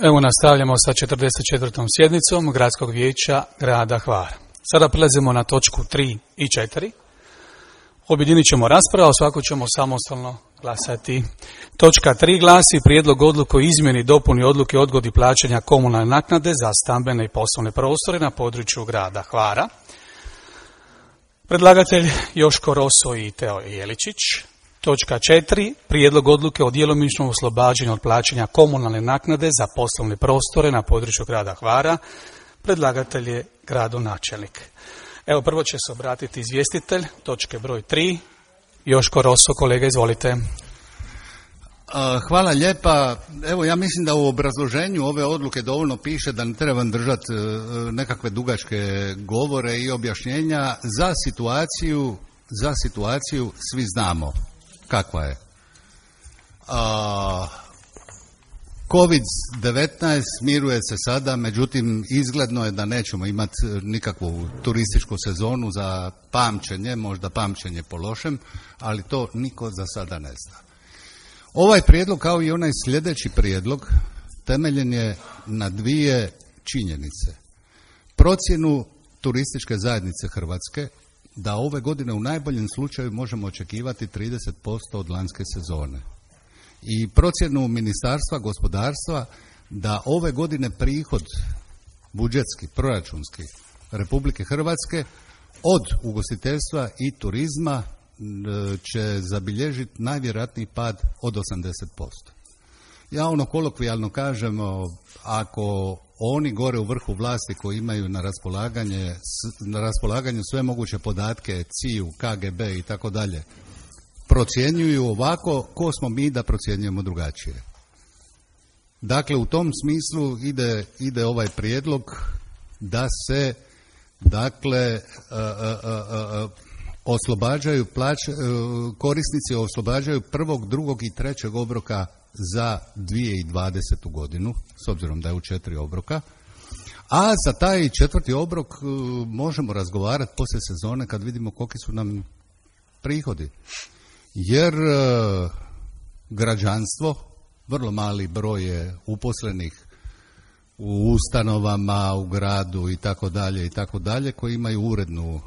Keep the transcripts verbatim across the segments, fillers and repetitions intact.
Evo nastavljamo sa četrdeset četvrtom sjednicom Gradskog vijeća grada Hvara. Sada prelazimo na točku tri i četiri. Objedinit ćemo raspravu, svako ćemo samostalno glasati. Točka tri glasi prijedlog odluke o izmjeni i dopuni odluke o odgodi plaćanja komunalne naknade za stambene i poslovne prostore na području grada Hvara. Predlagatelj Joško Roso i Teo Jeličić. Točka četiri. Prijedlog odluke o djelomičnom oslobađanju od plaćanja komunalne naknade za poslovne prostore na području grada Hvara. Predlagatelj je gradonačelnik. Evo, prvo će se obratiti izvjestitelj, točke broj tri. Joško Roso, kolega, izvolite. Hvala lijepa. Evo, ja mislim da u obrazloženju ove odluke dovoljno piše da ne trebam držati nekakve dugačke govore i objašnjenja. Za situaciju, za situaciju svi znamo kakva je. kovid devetnaest smiruje se sada, međutim izgledno je da nećemo imati nikakvu turističku sezonu za pamćenje, možda pamćenje po lošem, ali to niko za sada ne zna. Ovaj prijedlog, kao i onaj sljedeći prijedlog, temeljen je na dvije činjenice. Procjenu turističke zajednice Hrvatske da ove godine u najboljem slučaju možemo očekivati trideset posto od lanjske sezone. I procjenu Ministarstva gospodarstva da ove godine prihod budžetski, proračunski Republike Hrvatske od ugostiteljstva i turizma će zabilježiti najvjerojatniji pad od osamdeset posto. Ja ono kolokvijalno kažem, ako oni gore u vrhu vlasti koji imaju na raspolaganje, na raspolaganju sve moguće podatke, C I U, K G B i tako dalje, procjenjuju ovako, ko smo mi da procjenjujemo drugačije. Dakle, u tom smislu ide, ide ovaj prijedlog da se, dakle, a, a, a, a, oslobađaju plać, korisnici oslobađaju prvog, drugog i trećeg obroka za dvije tisuće dvadesetu godinu, s obzirom da je u četiri obroka, a za taj četvrti obrok možemo razgovarati poslije sezone kad vidimo koliki su nam prihodi. Jer građanstvo, vrlo mali broj je uposlenih u ustanovama, u gradu i tako dalje i tako dalje, koji imaju urednu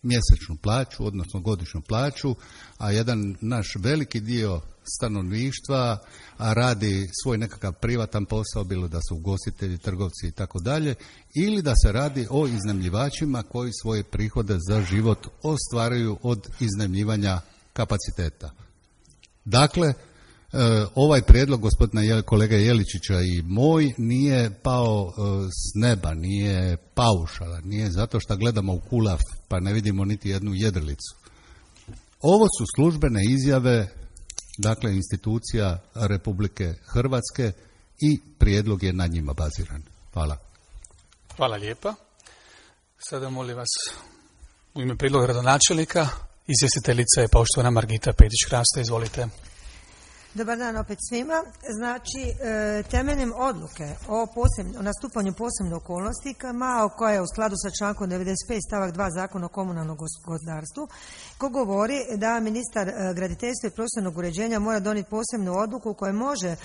mjesečnu plaću, odnosno godišnju plaću, a jedan naš veliki dio stanovništva radi svoj nekakav privatan posao, bilo da su ugostitelji, trgovci i tako dalje, ili da se radi o iznajmljivačima koji svoje prihode za život ostvaruju od iznajmljivanja kapaciteta. Dakle, ovaj prijedlog gospodina kolega Jeličića i moj nije pao s neba, nije paušalan, nije zato što gledamo u kulaf pa ne vidimo niti jednu jedrilicu. Ovo su službene izjave, dakle, institucija Republike Hrvatske i prijedlog je na njima baziran. Hvala. Hvala lijepa. Sada molim vas u ime prijedloga gradonačelnika, izvjestiteljica je poštovana Margita Petić-Krasta, izvolite. Dobar dan opet svima. Znači, temeljem odluke o, posebno, o nastupanju posebne okolnosti, koja je u skladu sa člankom devedeset pet stavak dva Zakona o komunalnom gospodarstvu, ko govori da ministar graditeljstva i prostornog uređenja mora donijeti posebnu odluku koja može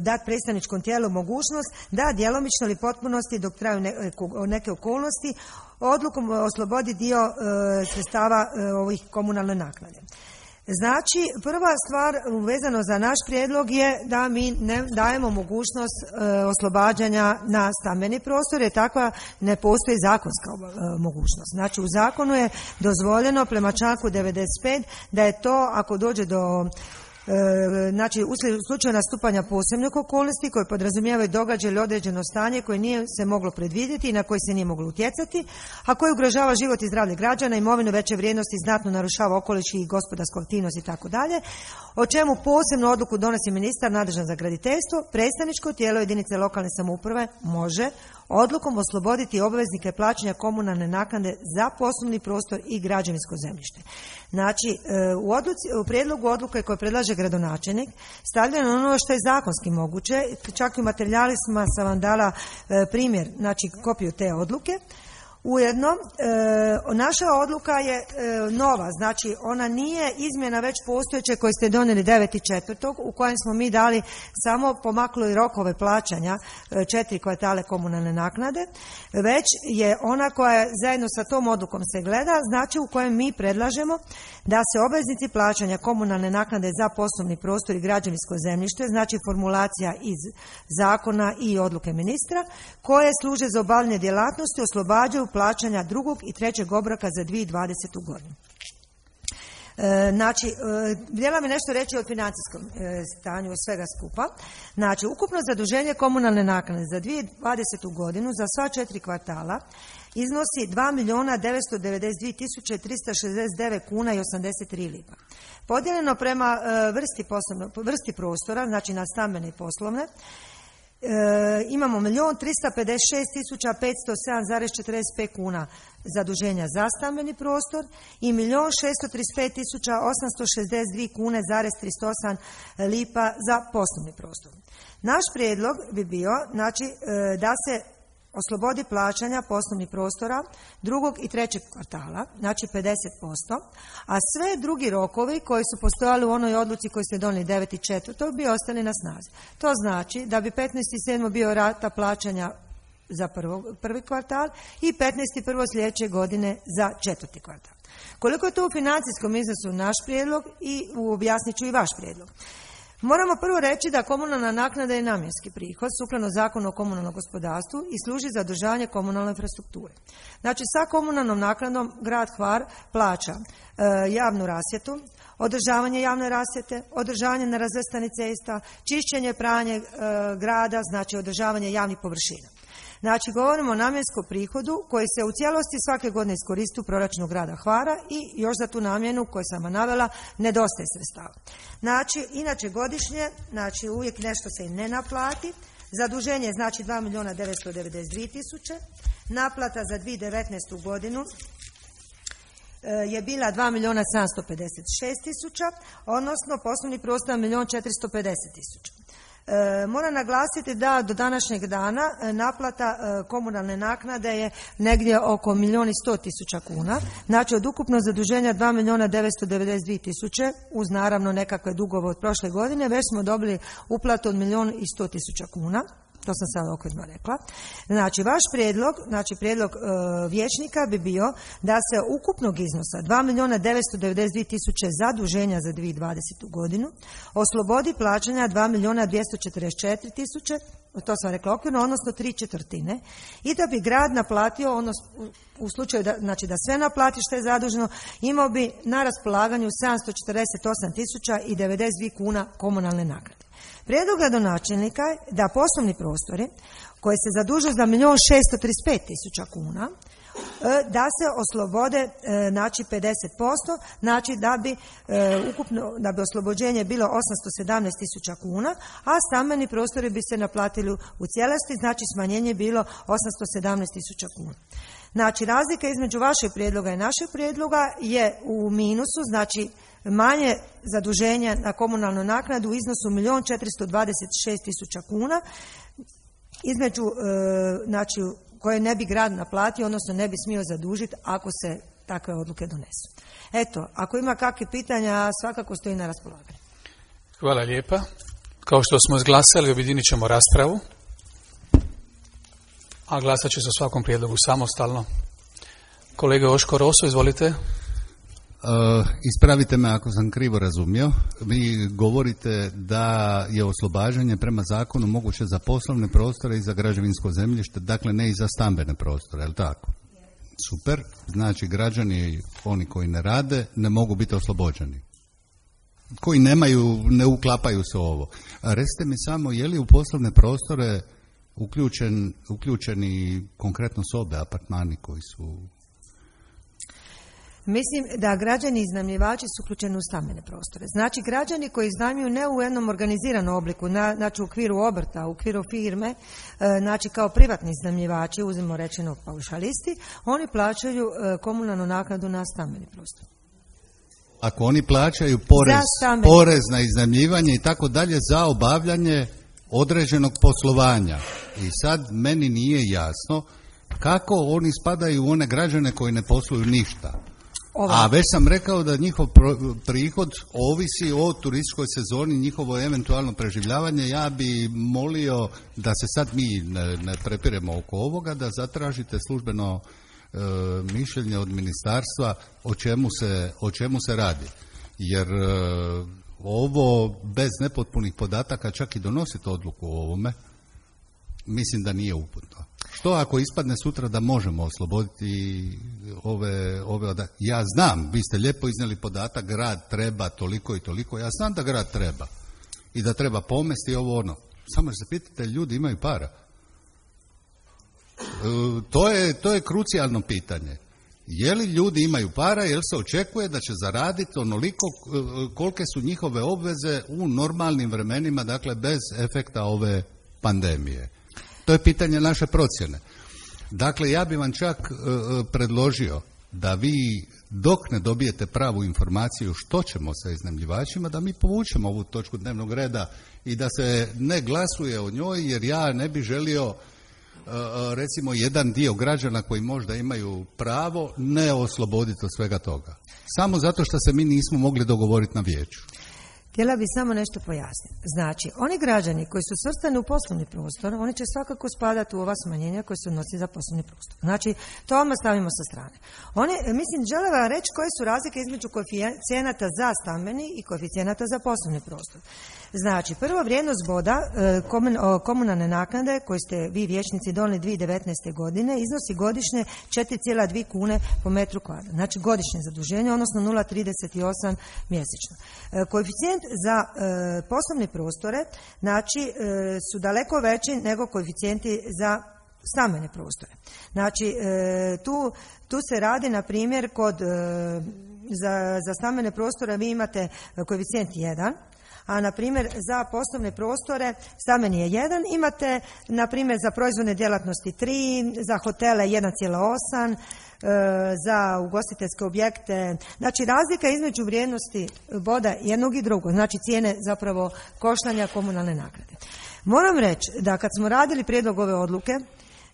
dati predstavničkom tijelu mogućnost da djelomično ili potpunosti dok traju neke okolnosti odlukom oslobodi dio sredstava ovih komunalne naknade. Znači, prva stvar vezano za naš prijedlog je da mi ne dajemo mogućnost e, oslobađanja na stambeni prostor, jer takva ne postoji zakonska e, mogućnost. Znači, u zakonu je dozvoljeno prema članku devedeset pet da je to, ako dođe do znači u slučaju nastupanja posebnih okolnosti koje podrazumijevaju događaj ili određeno stanje koje nije se moglo predvidjeti i na koje se nije moglo utjecati, a koje ugrožava život i zdravlje građana, imovinu veće vrijednosti, znatno narušava okoliš i gospodarsku aktivnost i tako dalje, o čemu posebnu odluku donosi ministar nadležan za graditeljstvo. Predstavničko tijelo jedinice lokalne samouprave može odlukom osloboditi obveznike plaćanja komunalne naknade za poslovni prostor i građevinsko zemljište. Znači, u, odluci, u prijedlogu odluke koje predlaže gradonačelnik stavljeno ono što je zakonski moguće, čak i u materijalima sam vam dala primjer, znači kopiju te odluke. Ujedno, e, naša odluka je e, nova, znači ona nije izmjena već postojeće koje ste donijeli devetog četvrtog u kojem smo mi dali samo pomakli rokove plaćanja e, četiri kvartale komunalne naknade, već je ona koja zajedno sa tom odlukom se gleda, znači u kojem mi predlažemo da se obveznici plaćanja komunalne naknade za poslovni prostor i građevinsko zemljište, znači formulacija iz zakona i odluke ministra, koje služe za obavljanje djelatnosti, oslobađaju plaćanja drugog i trećeg obroka za dvije tisuće dvadesetu godinu. E, znači, e, htjela mi nešto reći o financijskom e, stanju svega skupa. Znači, ukupno zaduženje komunalne naknade za dvije tisuće dvadesetu godinu za sva četiri kvartala iznosi dva milijuna devetsto devedeset dvije tisuće trista šezdeset devet kuna i osamdeset tri lipa. Podijeljeno prema e, vrsti, poslovno, vrsti prostora, znači na stambene i poslovne, E, imamo milijun trista pedeset šest tisuća petsto sedam zarez četrdeset pet kuna zaduženja za stambeni prostor i milijun šesto trideset pet tisuća osamsto šezdeset dvije kune zarez trideset osam lipa za poslovni prostor. Naš prijedlog bi bio, znači, e, da se oslobodi plaćanja poslovnih prostora drugog i trećeg kvartala, znači pedeset posto, a sve drugi rokovi koji su postojali u onoj odluci koju ste donijeli devetog četvrtog bi ostali na snazi. To znači da bi petnaestog sedmog bio rata plaćanja za prvo, prvi kvartal i petnaestog prvog sljedeće godine za četvrti kvartal. Koliko je to u financijskom iznosu naš prijedlog i objasnit ću i vaš prijedlog. Moramo prvo reći da komunalna naknada je namjenski prihod sukladno Zakonu o komunalnom gospodarstvu i služi za održavanje komunalne infrastrukture. Znači, sa komunalnom naknadom grad Hvar plaća e, javnu rasvjetu, održavanje javne rasvjete, održavanje nerazvrstanih cesta, čišćenje, pranje e, grada, znači održavanje javnih površina. Znači, govorimo o namjenskom prihodu koji se u cijelosti svake godine iskoristi u proračunu grada Hvara i još za tu namjenu koju sam vam navela nedostaje sredstava. Znači, inače godišnje, znači uvijek nešto se i ne naplati. Zaduženje je znači dva milijuna devetsto devedeset dvije tisuće, naplata za dvije tisuće devetnaestu godinu je bila dva milijuna sedamsto pedeset šest tisuća, odnosno poslovni prostor milijun četiristo pedeset tisuća. E, moram naglasiti da do današnjeg dana naplata e, komunalne naknade je negdje oko milijun i sto tisuća kuna. Znači, od ukupnog zaduženja dva milijuna devetsto devedeset dvije tisuće, uz naravno nekakve dugove od prošle godine, već smo dobili uplatu od milijun i sto tisuća kuna. To sam sad okvirno rekla. Znači, vaš prijedlog, znači prijedlog e, vijećnika bi bio da se ukupnog iznosa dva milijuna devetsto devedeset dvije tisuće zaduženja za dvije tisuće dvadesetu godinu oslobodi plaćanja dva milijuna dvjesto četrdeset četiri tisuće, to sam rekla okvirno, odnosno tri četvrtine, i da bi grad naplatio, odnosno u slučaju da, znači da sve naplati što je zaduženo, imao bi na raspolaganju sedamsto četrdeset osam tisuća i devedeset dvije kuna komunalne naknade. Prijedlog gradonačelnika je da poslovni prostori koji se zadužuju za milijun šesto trideset pet tisuća kuna da se oslobode znači pedeset posto, znači da bi ukupno da bi oslobođenje bilo osamsto sedamnaest tisuća kuna, a stambeni prostori bi se naplatili u cijelosti, znači smanjenje bilo osamsto sedamnaest tisuća kuna. Znači, razlika između vašeg prijedloga i našeg prijedloga je u minusu, znači manje zaduženja na komunalnu naknadu u iznosu milijun četiristo dvadeset šest tisuća kuna, između e, znači koje ne bi grad naplatio, odnosno ne bi smio zadužiti ako se takve odluke donesu. Eto, ako ima kakve pitanja, svakako stoji na raspolaganju. Hvala lijepa. Kao što smo izglasali, objedinit ćemo raspravu, a glasat će se o svakom prijedlogu samostalno. Kolega Oško Roso, izvolite. Uh, ispravite me ako sam krivo razumio. Vi govorite da je oslobađanje prema zakonu moguće za poslovne prostore i za građevinsko zemljište, dakle ne i za stambene prostore, je li tako? Super. Znači, građani, oni koji ne rade, ne mogu biti oslobođeni. Koji nemaju, ne uklapaju se u ovo. A recite mi samo, je li u poslovne prostore uključen, uključeni konkretno sobe, apartmani koji su... Mislim da građani iznajmljivači su uključeni u stambene prostore. Znači, građani koji iznajmljuju ne u jednom organiziranom obliku, na, znači u okviru obrta, u okviru firme, znači kao privatni iznajmljivači, uzmimo rečeno paušalisti, oni plaćaju komunalnu naknadu na stambeni prostor. Ako oni plaćaju porez, porez na iznajmljivanje i tako dalje za obavljanje određenog poslovanja. I sad meni nije jasno Kako oni spadaju u one građane koji ne posluju ništa? Ova. A već sam rekao da njihov prihod ovisi o turističkoj sezoni, njihovo eventualno preživljavanje. Ja bi molio da se sad mi ne, ne prepiremo oko ovoga, da zatražite službeno e, mišljenje od ministarstva o čemu se, o čemu se radi. Jer e, ovo bez nepotpunih podataka, čak i donositi odluku o ovome, mislim da nije uputno. Što ako ispadne sutra da možemo osloboditi ove, ove od... Ja znam, vi ste lijepo iznijeli podatak, grad treba toliko i toliko, ja znam da grad treba i da treba pomesti ovo ono. Samo se pitate, ljudi imaju para. E, to je, to je krucijalno pitanje. Je li ljudi imaju para, jer se očekuje da će zaraditi onoliko kolike su njihove obveze u normalnim vremenima, dakle bez efekta ove pandemije. To je pitanje naše procjene. Dakle, ja bih vam čak e, predložio da vi dok ne dobijete pravu informaciju što ćemo sa iznajmljivačima, da mi povučemo ovu točku dnevnog reda i da se ne glasuje o njoj, jer ja ne bih želio e, recimo jedan dio građana koji možda imaju pravo ne osloboditi od svega toga. Samo zato što se mi nismo mogli dogovoriti na vijeću. Htjela bi samo nešto pojasniti. Znači, oni građani koji su svrstani u poslovni prostor, oni će svakako spadati u ova smanjenja koje se odnosi za poslovni prostor. Znači, to odmah stavimo sa strane. Oni, mislim, žele vam reći koje su razlike između koeficijenata za stambeni i koeficijenata za poslovni prostor. Znači, prvo vrijednost boda komunalne naknade koje ste vi vijećnici donijeli dvije tisuće devetnaeste. godine iznosi godišnje četiri zarez dvije kune po metru kvadratnom. Znači, godišnje zaduženje, odnosno nula zarez trideset osam mjesečno. Koeficijent za e, poslovne prostore, znači, e, su daleko veći nego koeficijenti za stambene prostore. Znači, e, tu, tu se radi, na primjer, kod e, za, za stambene prostore vi imate koeficijent jedan, a na primjer za poslovne prostore stambeni je jedan, imate na primjer za proizvodne djelatnosti tri, za hotele jedan zarez osam, za ugostiteljske objekte. Znači, razlika između vrijednosti boda jednog i drugog, znači cijene zapravo koštanja komunalne naknade. Moram reći da kad smo radili prijedlog ove odluke,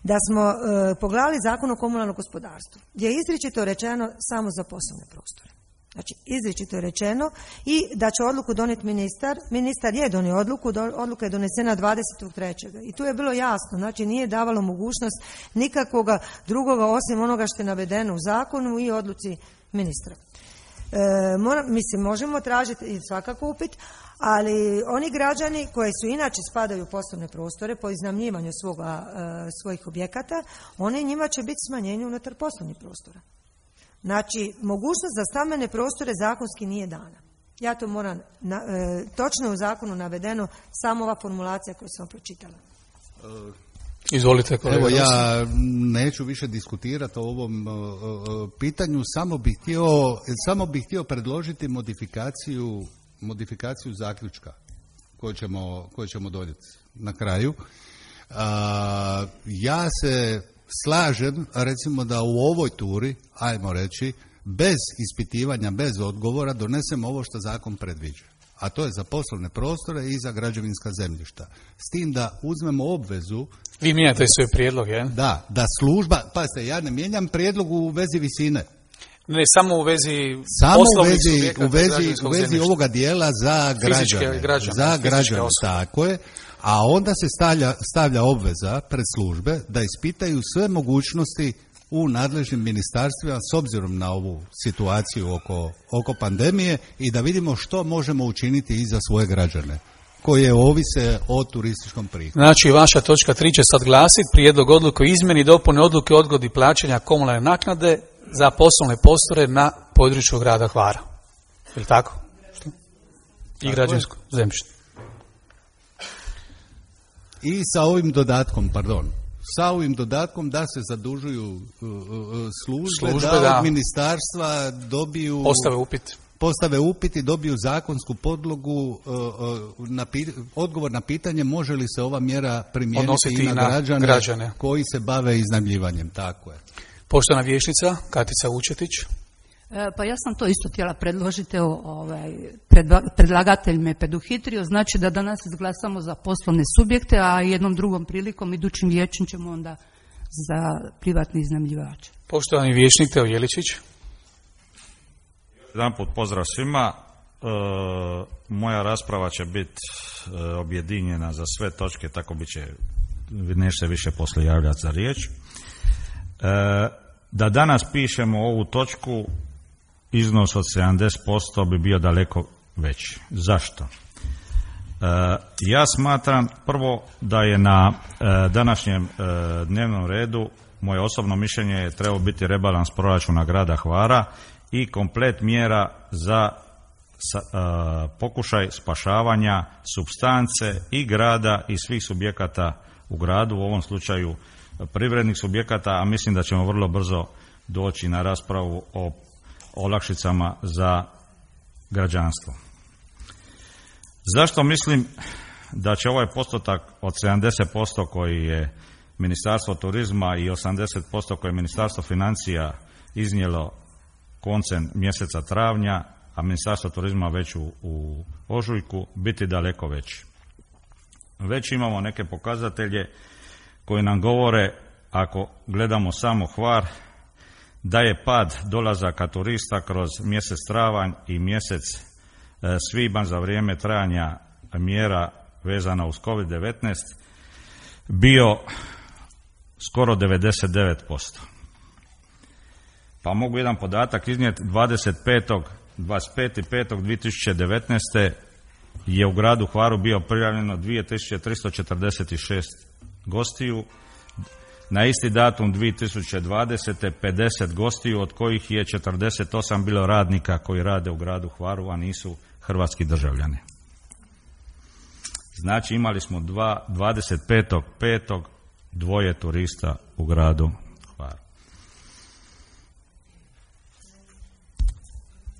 da smo e, pogledali Zakon o komunalnom gospodarstvu, gdje je izričito rečeno samo za poslovne prostore. Znači, izričito je rečeno i da će odluku donijeti ministar. Ministar je donio odluku, do, odluka je donesena dvadesetog trećeg I tu je bilo jasno, znači nije davalo mogućnost nikakvoga drugoga osim onoga što je navedeno u zakonu i odluci ministra. E, mora, mislim, možemo tražiti i svakako upit, ali oni građani koji su inače spadaju u poslovne prostore po iznajmljivanju svoga, e, svojih objekata, oni njima će biti smanjenje unutar poslovnih prostora. Znači, mogućnost za stambene prostore zakonski nije dana. Ja to moram, na, e, točno je u zakonu navedeno, samo ova formulacija koju sam pročitala. Izvolite, kolega. Evo, ja neću više diskutirati o ovom uh, pitanju, samo bih htio, samo bih htio predložiti modifikaciju, modifikaciju zaključka koju ćemo, koju ćemo donijeti na kraju. Uh, ja se slažem, recimo, da u ovoj turi, ajmo reći, bez ispitivanja, bez odgovora, donesemo ovo što zakon predviđa. A to je za poslovne prostore i za građevinska zemljišta. S tim da uzmemo obvezu... Vi mijenjate svoj prijedlog, je? Da, da služba... Pazite, ja ne mijenjam prijedlog u vezi visine. Ne, samo u vezi samo poslovnih u vezi, subjekata u vezi, u vezi zemljišta. ovoga dijela za građane. građane za građane, tako je. A onda se stavlja, stavlja obveza pred službe da ispitaju sve mogućnosti u nadležnim ministarstvima s obzirom na ovu situaciju oko, oko pandemije i da vidimo što možemo učiniti i za svoje građane koje ovise o turističkom prihodu. Znači, vaša točka tri će sad glasiti prijedlog odluke o izmjeni i dopuni odluke o odgodi plaćanja komunalne naknade za poslovne prostore na području grada Hvara. Je li tako? Što? I građansko zemljište. I sa ovim dodatkom, pardon, sa ovim dodatkom da se zadužuju uh, službe, službe da, da od ministarstva dobiju... Postave upit. Postave upit i dobiju zakonsku podlogu, uh, uh, na pi, odgovor na pitanje može li se ova mjera primijeniti i na, na građane, građane koji se bave iznajmljivanjem. Tako je. Poštovana vijećnica Katica Vučetić. Pa ja sam to isto htjela predložiti, ovaj, predlagatelj me preduhitrio, znači da danas izglasamo za poslovne subjekte, a jednom drugom prilikom, idućim vijećem ćemo onda za privatni iznajmljivače. Poštovani vijećnik Teo Jeličić. Jedan put pozdrav svima. E, moja rasprava će biti e, objedinjena za sve točke, tako bit će, neće se više poslije javljati za riječ. E, da danas pišemo ovu točku, iznos od sedamdeset posto bi bio daleko veći. Zašto? E, ja smatram prvo da je na e, današnjem e, dnevnom redu, moje osobno mišljenje je trebao biti rebalans proračuna grada Hvara i komplet mjera za sa, e, pokušaj spašavanja supstance i grada i svih subjekata u gradu, u ovom slučaju privrednih subjekata, a mislim da ćemo vrlo brzo doći na raspravu o olakšicama za građanstvo. Zašto mislim da će ovaj postotak od sedamdeset posto koji je Ministarstvo turizma i osamdeset posto koje je Ministarstvo financija iznijelo koncem mjeseca travnja, a Ministarstvo turizma već u, u ožujku, biti daleko veći? Već imamo neke pokazatelje koji nam govore, ako gledamo samo Hvar, da je pad dolazaka turista kroz mjesec travanj i mjesec e, svibanj za vrijeme trajanja mjera vezana uz kovid devetnaest bio skoro devedeset devet posto. Pa mogu jedan podatak iznijeti. dvadeset pet pet dvije tisuće devetnaeste. je u gradu Hvaru bio prijavljeno dvije tisuće tristo četrdeset šest gostiju. Na isti datum dvije tisuće dvadesete. pedeset gostiju, od kojih je četrdeset osam bilo radnika koji rade u gradu Hvaru, a nisu hrvatski državljani. Znači imali smo dva, dvadeset pet pet dvoje turista u gradu Hvaru.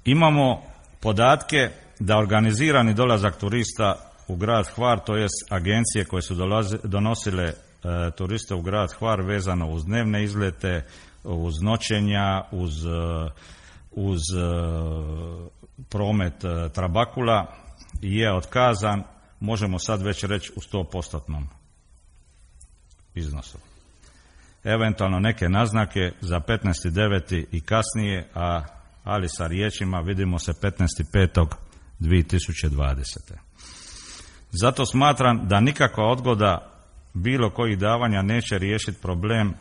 Imamo podatke da organizirani dolazak turista u grad Hvar, to jest agencije koje su dolaze, donosile e, turiste u grad Hvar vezano uz dnevne izlete, uz noćenja, uz, e, uz e, promet e, trabakula, je otkazan, možemo sad već reći u sto postotnom iznosu. Eventualno neke naznake za petnaesti deveti i kasnije, a ali sa riječima vidimo se petnaesti pet dvije tisuće dvadesete. Zato smatram da nikakva odgoda bilo kojih davanja neće riješiti problem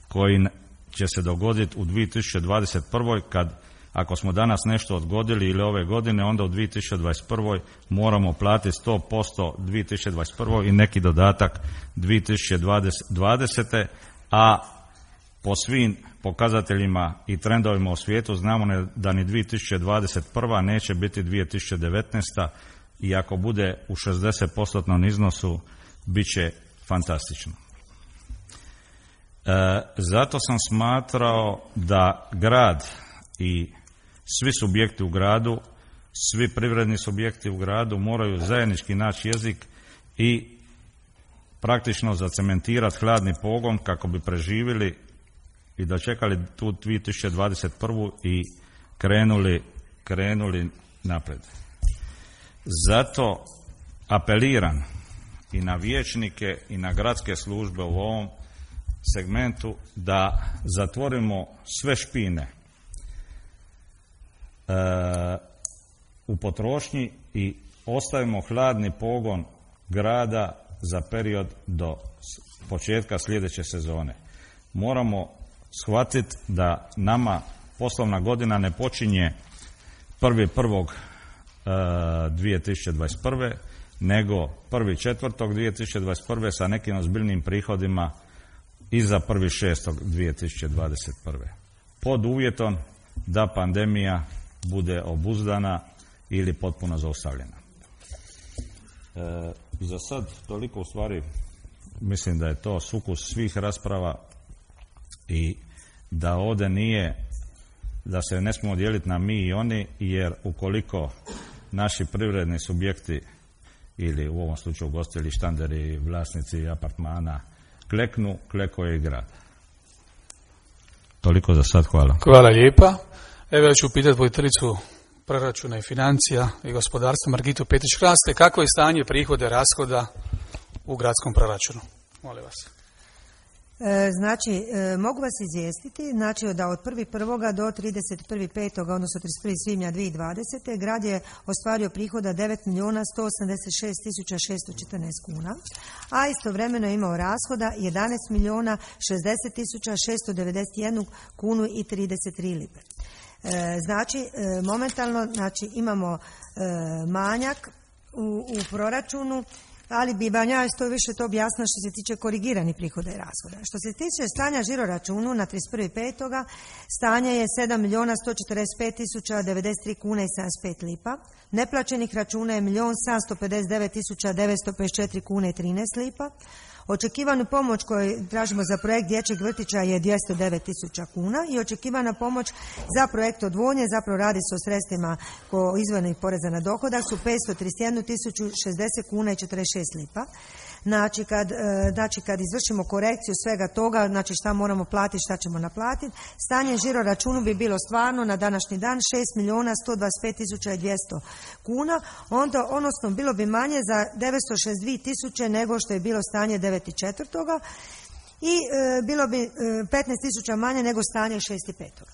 koji će se dogoditi u dvije tisuće dvadeset prva. kad ako smo danas nešto odgodili ili ove godine, onda u dvije tisuće dvadeset prva moramo platiti sto posto dvije tisuće dvadeset prva i neki dodatak dvije tisuće dvadesete. a po svim pokazateljima i trendovima u svijetu znamo da ni dvije tisuće dvadeset prva neće biti dvije tisuće devetnaesta. i ako bude u šezdeset posto iznosu, bit će fantastično. E, zato sam smatrao da grad i svi subjekti u gradu, svi privredni subjekti u gradu moraju zajednički naći jezik i praktično zacementirati hladni pogon kako bi preživjeli i dočekali tu dvije tisuće dvadeset prvu i krenuli, krenuli naprijed. Zato apeliram i na vijećnike i na gradske službe u ovom segmentu da zatvorimo sve špine e, u potrošnji i ostavimo hladni pogon grada za period do početka sljedeće sezone. Moramo shvatiti da nama poslovna godina ne počinje prvi prvog dvije tisuće dvadeset prve. nego prvi četvrtog dvije tisuće dvadeset prve sa nekim ozbiljnim prihodima i za prvi šestog dvije tisuće dvadeset prve. Pod uvjetom da pandemija bude obuzdana ili potpuno zaustavljena. E, za sad toliko, u stvari mislim da je to sukus svih rasprava i da ovdje nije, da se ne smijemo dijeliti na mi i oni, jer ukoliko naši privredni subjekti ili u ovom slučaju ugostitelji, štanderi, vlasnici apartmana kleknu, kleko je i grad. Toliko za sad, hvala. Hvala lijepa. Evo ja ću pitati voditeljicu proračuna i financija i gospodarstva Margitu Petić-Kraste, kako je stanje prihode rashoda u gradskom proračunu? Molim vas. E, znači, e, mogu vas izvijestiti, znači da od prvog prvog do trideset prvog petog odnosno trideset prvog svibnja dvije tisuće dvadesete. grad je ostvario prihoda devet milijuna sto osamdeset šest tisuća šesto četrnaest kuna, a istovremeno je imao rashoda jedanaest milijuna šezdeset tisuća šesto devedeset jednu kunu i trideset tri lipe. E, znači, e, momentalno znači, imamo e, manjak u, u proračunu, ali bi vam ja isto više to objasnila što se tiče korigiranih prihoda i rashoda. Što se tiče stanja žiro računu na trideset prvog petog stanje je sedam milijuna sto četrdeset pet tisuća devedeset tri kune i sedamdeset pet lipa. Neplaćenih računa je milijon sedamsto pedeset devet tisuća devetsto pedeset četiri kune i trinaest lipa. Očekivanu pomoć koju tražimo za projekt dječjeg vrtića je dvjesto devet tisuća kuna i očekivana pomoć za projekt odvodnje, zapravo radi se o sredstvima izvornih poreza na dohodak, su petsto trideset jednu tisuću šezdeset kuna i četrdeset šest lipa. Znači kad, znači kad izvršimo korekciju svega toga, znači šta moramo platiti, šta ćemo naplatiti, stanje žiro računu bi bilo stvarno na današnji dan šest milijuna sto dvadeset pet tisuća dvjesto kuna, onda odnosno bilo bi manje za devetsto šezdeset dvije tisuće nego što je bilo stanje devet četvrtog i e, bilo bi e, petnaest tisuća manje nego stanje šest petog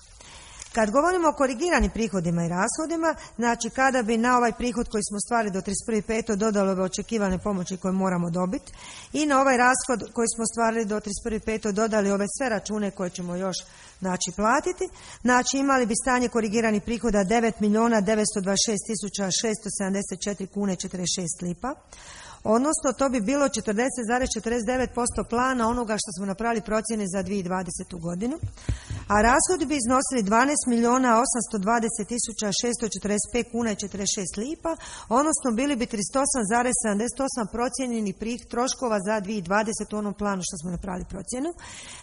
Kad govorimo o korigiranim prihodima i rashodima, znači kada bi na ovaj prihod koji smo ostvarili do trideset prvog petog dodalo bi očekivane pomoći koje moramo dobiti i na ovaj rashod koji smo ostvarili do trideset prvog petog dodali ove sve račune koje ćemo još znači platiti, znači imali bi stanje korigiranih prihoda devet milijuna devetsto dvadeset šest tisuća šesto sedamdeset četiri kune i četrdeset šest lipa. Odnosno, to bi bilo četrdeset zarez četrdeset devet posto plana onoga što smo napravili procjene za dvije tisuće dvadesetu godinu, a rashodi bi iznosili dvanaest milijuna osamsto dvadeset tisuća šesto četrdeset pet kuna i četrdeset šest lipa, odnosno bili bi trideset osam zarez sedamdeset osam procijenjenih troškova za dvije tisuće dvadesetu u onom planu što smo napravili procjenu.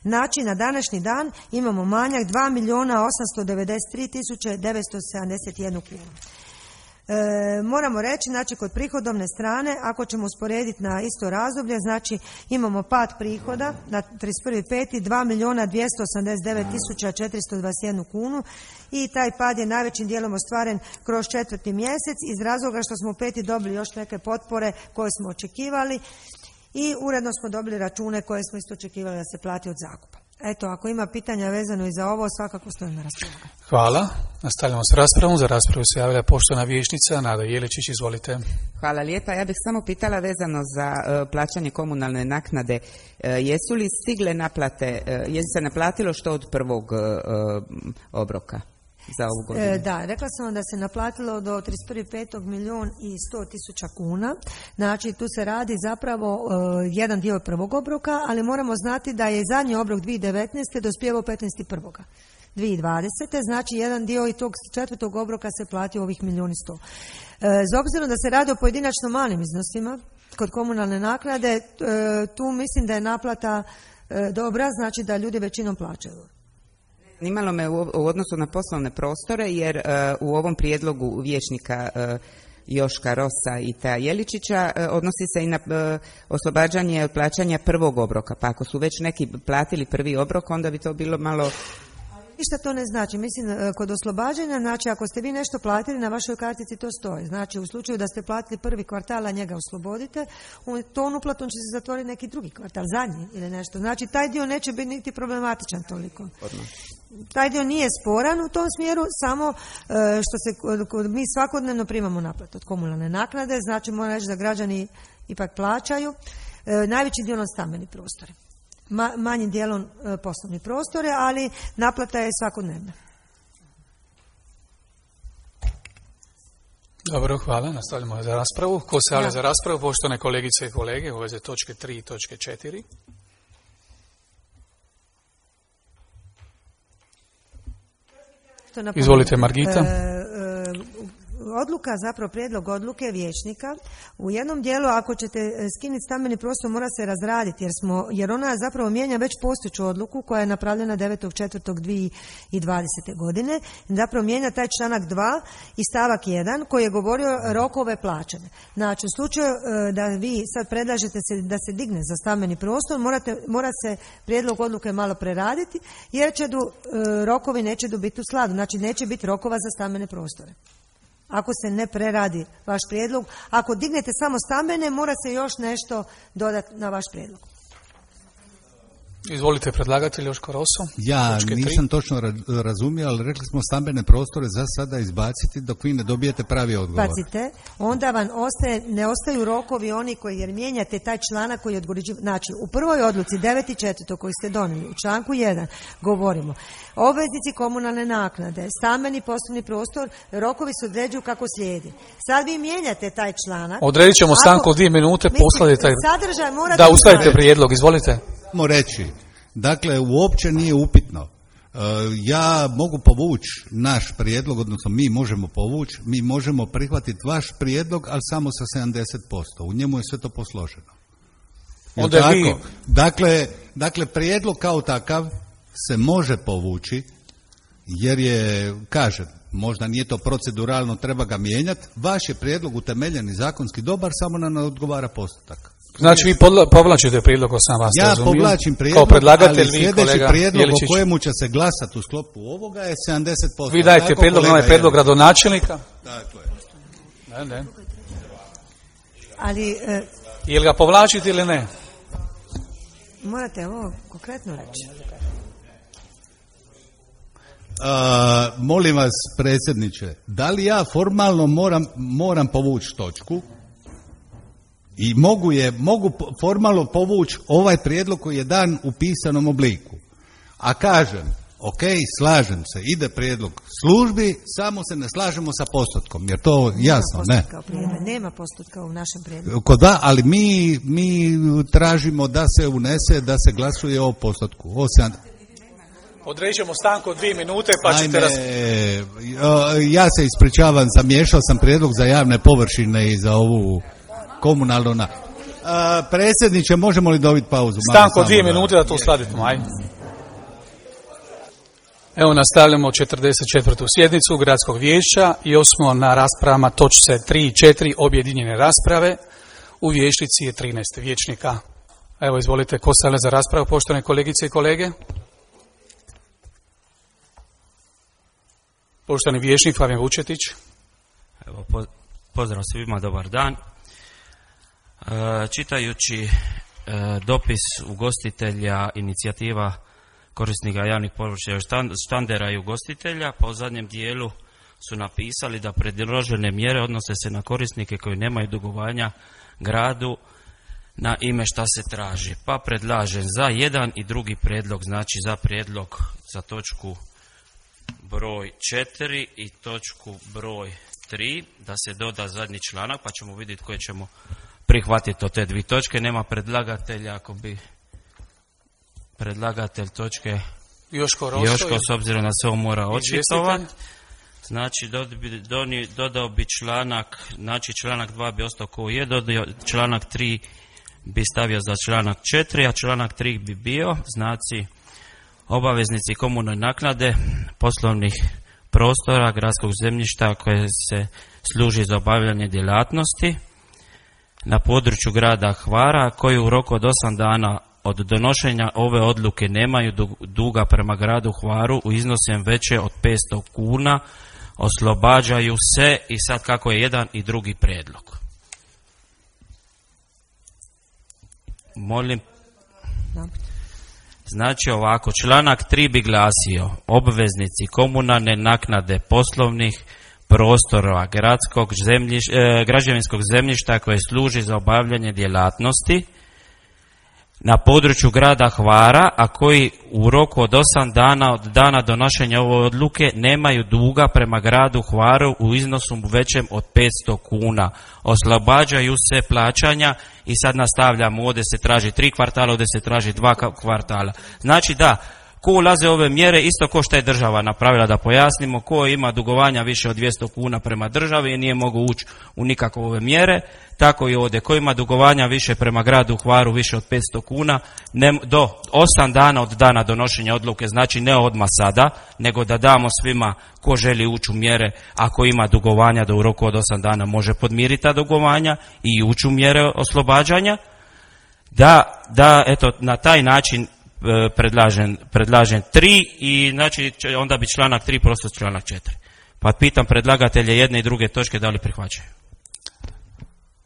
Znači, na današnji dan imamo manjak dva milijuna osamsto devedeset tri tisuće devetsto sedamdeset jednu kunu. E, moramo reći, znači kod prihodovne strane, ako ćemo usporediti na isto razdoblje, znači imamo pad prihoda na trideset prvog petog dva milijuna dvjesto osamdeset devet tisuća četiristo dvadeset jednu kunu i taj pad je najvećim dijelom ostvaren kroz četvrti mjesec iz razloga što smo u peti dobili još neke potpore koje smo očekivali i uredno smo dobili račune koje smo isto očekivali da se plati od zakupa. Eto, ako ima pitanja vezano i za ovo, svakako stojim na raspolaganju. Hvala. Nastavljamo s raspravom. Za raspravu se javila poštovana vijećnica Nada Jeličić. Izvolite. Hvala lijepa. Ja bih samo pitala vezano za uh, plaćanje komunalne naknade. Uh, jesu li stigle naplate, uh, je li se naplatilo što od prvog uh, obroka za ovu godinu? E, da, rekla sam vam da se naplatilo do trideset prvog petog milijun i sto tisuća kuna. Znači, tu se radi zapravo uh, jedan dio prvog obroka, ali moramo znati da je zadnji obrok dvije tisuće devetnaeste dospijevao petnaestog prvog dvije tisuće dvadesete Znači, jedan dio i tog četvrtog obroka se platio ovih milijun i sto. E, z obzirom da se radi o pojedinačno malim iznosima kod komunalne naknade, e, tu mislim da je naplata e, dobra, znači da ljudi većinom plaćaju. Zanimalo me u odnosu na poslovne prostore, jer uh, u ovom prijedlogu vijećnika uh, Joška Rosa i Teja Jeličića uh, odnosi se i na uh, oslobađanje od plaćanja prvog obroka. Pa ako su već neki platili prvi obrok, onda bi to bilo malo... Ništa to ne znači. Mislim, kod oslobađanja, znači ako ste vi nešto platili, na vašoj kartici to stoji. Znači, u slučaju da ste platili prvi kvartal, a njega oslobodite, tom uplatom će se zatvoriti neki drugi kvartal, zadnji ili nešto. Znači, taj dio neće biti niti problematičan toliko. Odmah. Taj dio nije sporan u tom smjeru, samo što se mi svakodnevno primamo naplatu od komunalne naknade, znači moram reći da građani ipak plaćaju, najveći dio na stambeni prostori. Ma, manjim dijelom e, poslovni prostore, ali naplata je svakodnevna. Dobro, hvala. Nastavljamo za raspravu. Ko se javlja ja. za raspravu? Poštovane kolegice i kolege, u vezi točke tri i točke četiri. Izvolite, Margita. E, e, Odluka, zapravo prijedlog odluke vijećnika, u jednom dijelu ako ćete skinuti stambeni prostor mora se razraditi jer, smo, jer ona zapravo mijenja već postojeću odluku koja je napravljena devetog četvrtog dvije tisuće dvadesete godine. Zapravo mijenja taj članak dva i stavak jedan koji je govorio rokove plaćanja. Znači, u slučaju da vi sad predlažete se, da se digne za stambeni prostor, morate, mora se prijedlog odluke malo preraditi jer će do, rokovi neće do biti u skladu. Znači, neće biti rokova za stambene prostore. Ako se ne preradi vaš prijedlog, ako dignete samo stambene, mora se još nešto dodati na vaš prijedlog. Izvolite predlagatelj Joško Roso. Ja Točke nisam tri. točno ra- razumio, ali rekli smo stambene prostore za sada izbaciti dok vi ne dobijete pravi odgovor. Pazite, onda vam ostaje, ne ostaju rokovi oni koji, jer mijenjate taj članak koji je odgođiv... Znači, u prvoj odluci devet četiri koji ste donijeli, u članku jedan govorimo, obveznici komunalne naknade, stambeni poslovni prostor, rokovi se određuju kako slijedi. Sad vi mijenjate taj članak. Odredit ćemo Ako- stanku od dvije minute, Mislim, posladite taj... sadržaj morate Da, uskladite uskladiti. prijedlog, izvolite. Mo reći, dakle, uopće nije upitno. E, ja mogu povući naš prijedlog, odnosno mi možemo povući, mi možemo prihvatiti vaš prijedlog, ali samo sa sedamdeset posto. U njemu je sve to posloženo. Jel Onda tako? vi- Dakle, dakle, prijedlog kao takav se može povući, jer je, kažem, možda nije to proceduralno, treba ga mijenjati. Vaš je prijedlog utemeljen i zakonski dobar, samo nam ne odgovara postotak. Znači vi podla- povlačite prijedlog ko sam vas Ja razumio. povlačim Kao prijedlog, predlagatelj, ali vi, sljedeći kolega prijedlog Jeličić. o kojemu će se glasati u sklopu ovoga je sedamdeset posto. Vi dajete Tako, prijedlog na kolega ovaj prijedlog Jelić? gradonačelnika. Tako je. Ne, ne. Ali e, Jel ga povlačite ili ne? morate ovo konkretno reći. A, molim vas, predsjedniče, da li ja formalno moram, moram povući točku i mogu, je, mogu po- formalno povući ovaj prijedlog koji je dan u pisanom obliku. A kažem, ok, slažem se, ide prijedlog službi, samo se ne slažemo sa postotkom, jer to jasno, ne. Nema postotka u prijedlogu, nema postotka u našem prijedlogu. Ko da, ali mi, mi tražimo da se unese, da se glasuje o postotku. O sedam- Odredit ćemo stanku od dvije minute pa ćete Naime, raz... ja se ispričavam, zamiješao sam prijedlog za javne površine i za ovu komunalnu na... A, predsjedniče, možemo li dobiti pauzu? Malo Stanku od samo dvije da- minute da to uskladimo, ajde. Evo nastavljamo četrdeset četvrtu sjednicu Gradskog vijeća i osmo na raspravama točce tri i četiri objedinjene rasprave. U vijećnici je trinaest vijećnika. Evo izvolite, ko se javlja za raspravu, poštovane kolegice i kolege? Poštovani vijećnik Fabijan Vučetić. Evo, po- pozdrav svima, dobar dan. E, čitajući e, dopis ugostitelja, inicijativa korisnika javnih površina štan- štandera i ugostitelja, po zadnjem dijelu su napisali da predložene mjere odnose se na korisnike koji nemaju dugovanja gradu na ime šta se traži. Pa predlažem za jedan i drugi prijedlog, znači za prijedlog za točku broj četiri i točku broj tri, da se doda zadnji članak, pa ćemo vidjeti koje ćemo prihvatiti od te dvije točke. Nema predlagatelja, ako bi predlagatelj točke Joško Roso. Joško, s obzirom da se on mora očitovati. Izvjestitelj. Znači, dod- bi- doni- dodao bi članak, znači članak dva bi ostao koji je, dodao članak tri bi stavio za članak četiri, a članak tri bi bio, znači, obaveznici komunalne naknade poslovnih prostora gradskog zemljišta koje se služi za obavljanje djelatnosti na području grada Hvara, koji u roku od osam dana od donošenja ove odluke nemaju du- duga prema gradu Hvaru u iznosem veće od petsto kuna, oslobađaju se, i sad kako je jedan i drugi prijedlog. Molim. Dobro. Znači ovako, članak tri bi glasio: obveznici komunalne naknade poslovnih prostora gradskog zemljiš, e, građevinskog zemljišta koje služi za obavljanje djelatnosti na području grada Hvara, a koji u roku od osam dana od dana donošenja ove odluke nemaju duga prema gradu Hvaru u iznosu većem od petsto kuna. Oslobađaju se plaćanja, i sad nastavljamo, ovdje se traži tri kvartala, ovdje se traži dva ka- kvartala. Znači da, ko ulaze ove mjere, isto ko što je država napravila, da pojasnimo, ko ima dugovanja više od dvjesto kuna prema državi i nije mogu ući u nikakve ove mjere, tako i ovdje, ko ima dugovanja više prema gradu Hvaru više od petsto kuna, ne, do osam dana od dana donošenja odluke, znači ne odmah sada, nego da damo svima ko želi ući u mjere, ako ima dugovanja da u roku od osam dana može podmiriti ta dugovanja i ući u mjere oslobađanja, da, da eto, na taj način e, predlažem, predlažem tri, i znači će- onda bi članak tri prosto članak četiri. Pa pitam predlagatelje jedne i druge točke da li prihvaćaju.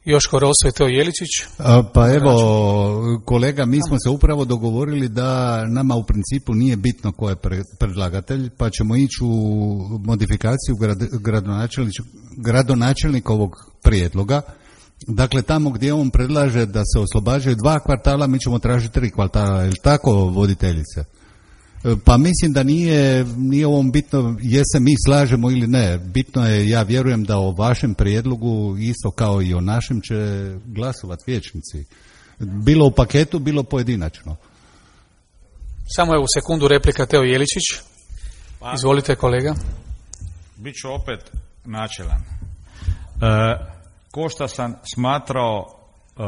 Joško Roso i Teo Jeličić. A, pa evo, kolega, mi smo se upravo dogovorili da nama u principu nije bitno ko je pre, predlagatelj, pa ćemo ići u modifikaciju grad, gradonačelnikovog prijedloga. Dakle, tamo gdje on predlaže da se oslobađaju dva kvartala, mi ćemo tražiti tri kvartala, je li tako, voditeljice? Pa mislim da nije, nije ovom bitno je se mi slažemo ili ne. Bitno je, ja vjerujem da o vašem prijedlogu, isto kao i o našem, će glasovati vijećnici. Bilo u paketu, bilo pojedinačno. Samo je u sekundu replika Teo Jeličić. Izvolite, kolega. Biću opet načelan. E, ko što sam smatrao e,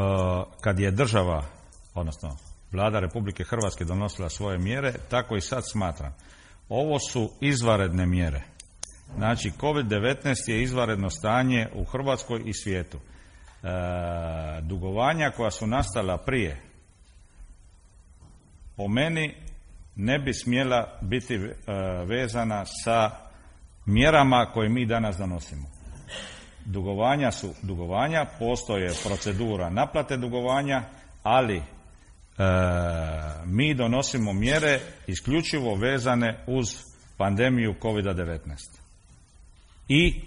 kad je država, odnosno Vlada Republike Hrvatske donosila svoje mjere, tako i sad smatram. Ovo su izvanredne mjere. Znači, kovid devetnaest je izvanredno stanje u Hrvatskoj i svijetu. E, dugovanja koja su nastala prije, po meni, ne bi smjela biti e, vezana sa mjerama koje mi danas donosimo. Dugovanja su dugovanja, postoje procedura naplate dugovanja, ali E, mi donosimo mjere isključivo vezane uz pandemiju kovid devetnaest. I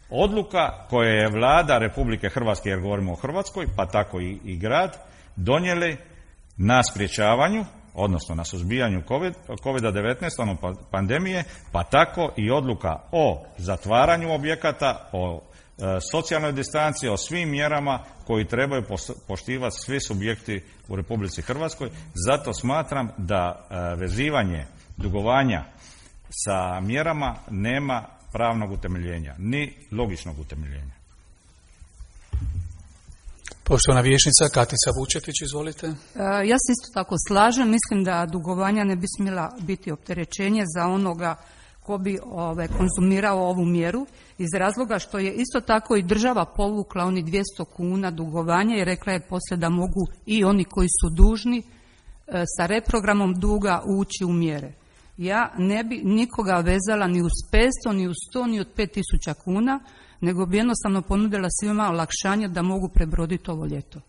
odluka koja je Vlada Republike Hrvatske, jer govorimo o Hrvatskoj, pa tako i, i grad, donijeli na sprječavanju, odnosno na suzbijanju kovid devetnaest, ono pandemije, pa tako i odluka o zatvaranju objekata, o socijalnoj distanci, o svim mjerama koji trebaju poštivati svi subjekti u Republici Hrvatskoj. Zato smatram da vezivanje dugovanja sa mjerama nema pravnog utemeljenja, ni logičnog utemeljenja. Poštovana vijećnica Katica Vučetić, izvolite. Ja se isto tako slažem, mislim da dugovanja ne bi smjela biti opterećenje za onoga ko bi ove, konzumirao ovu mjeru, iz razloga što je isto tako i država povukla oni dvjesto kuna dugovanja i rekla je poslije da mogu i oni koji su dužni e, sa reprogramom duga ući u mjere. Ja ne bi nikoga vezala ni uz petsto, ni uz sto, ni od pet tisuća kuna, nego bi jednostavno ponudila svima olakšanje da mogu prebroditi ovo ljeto.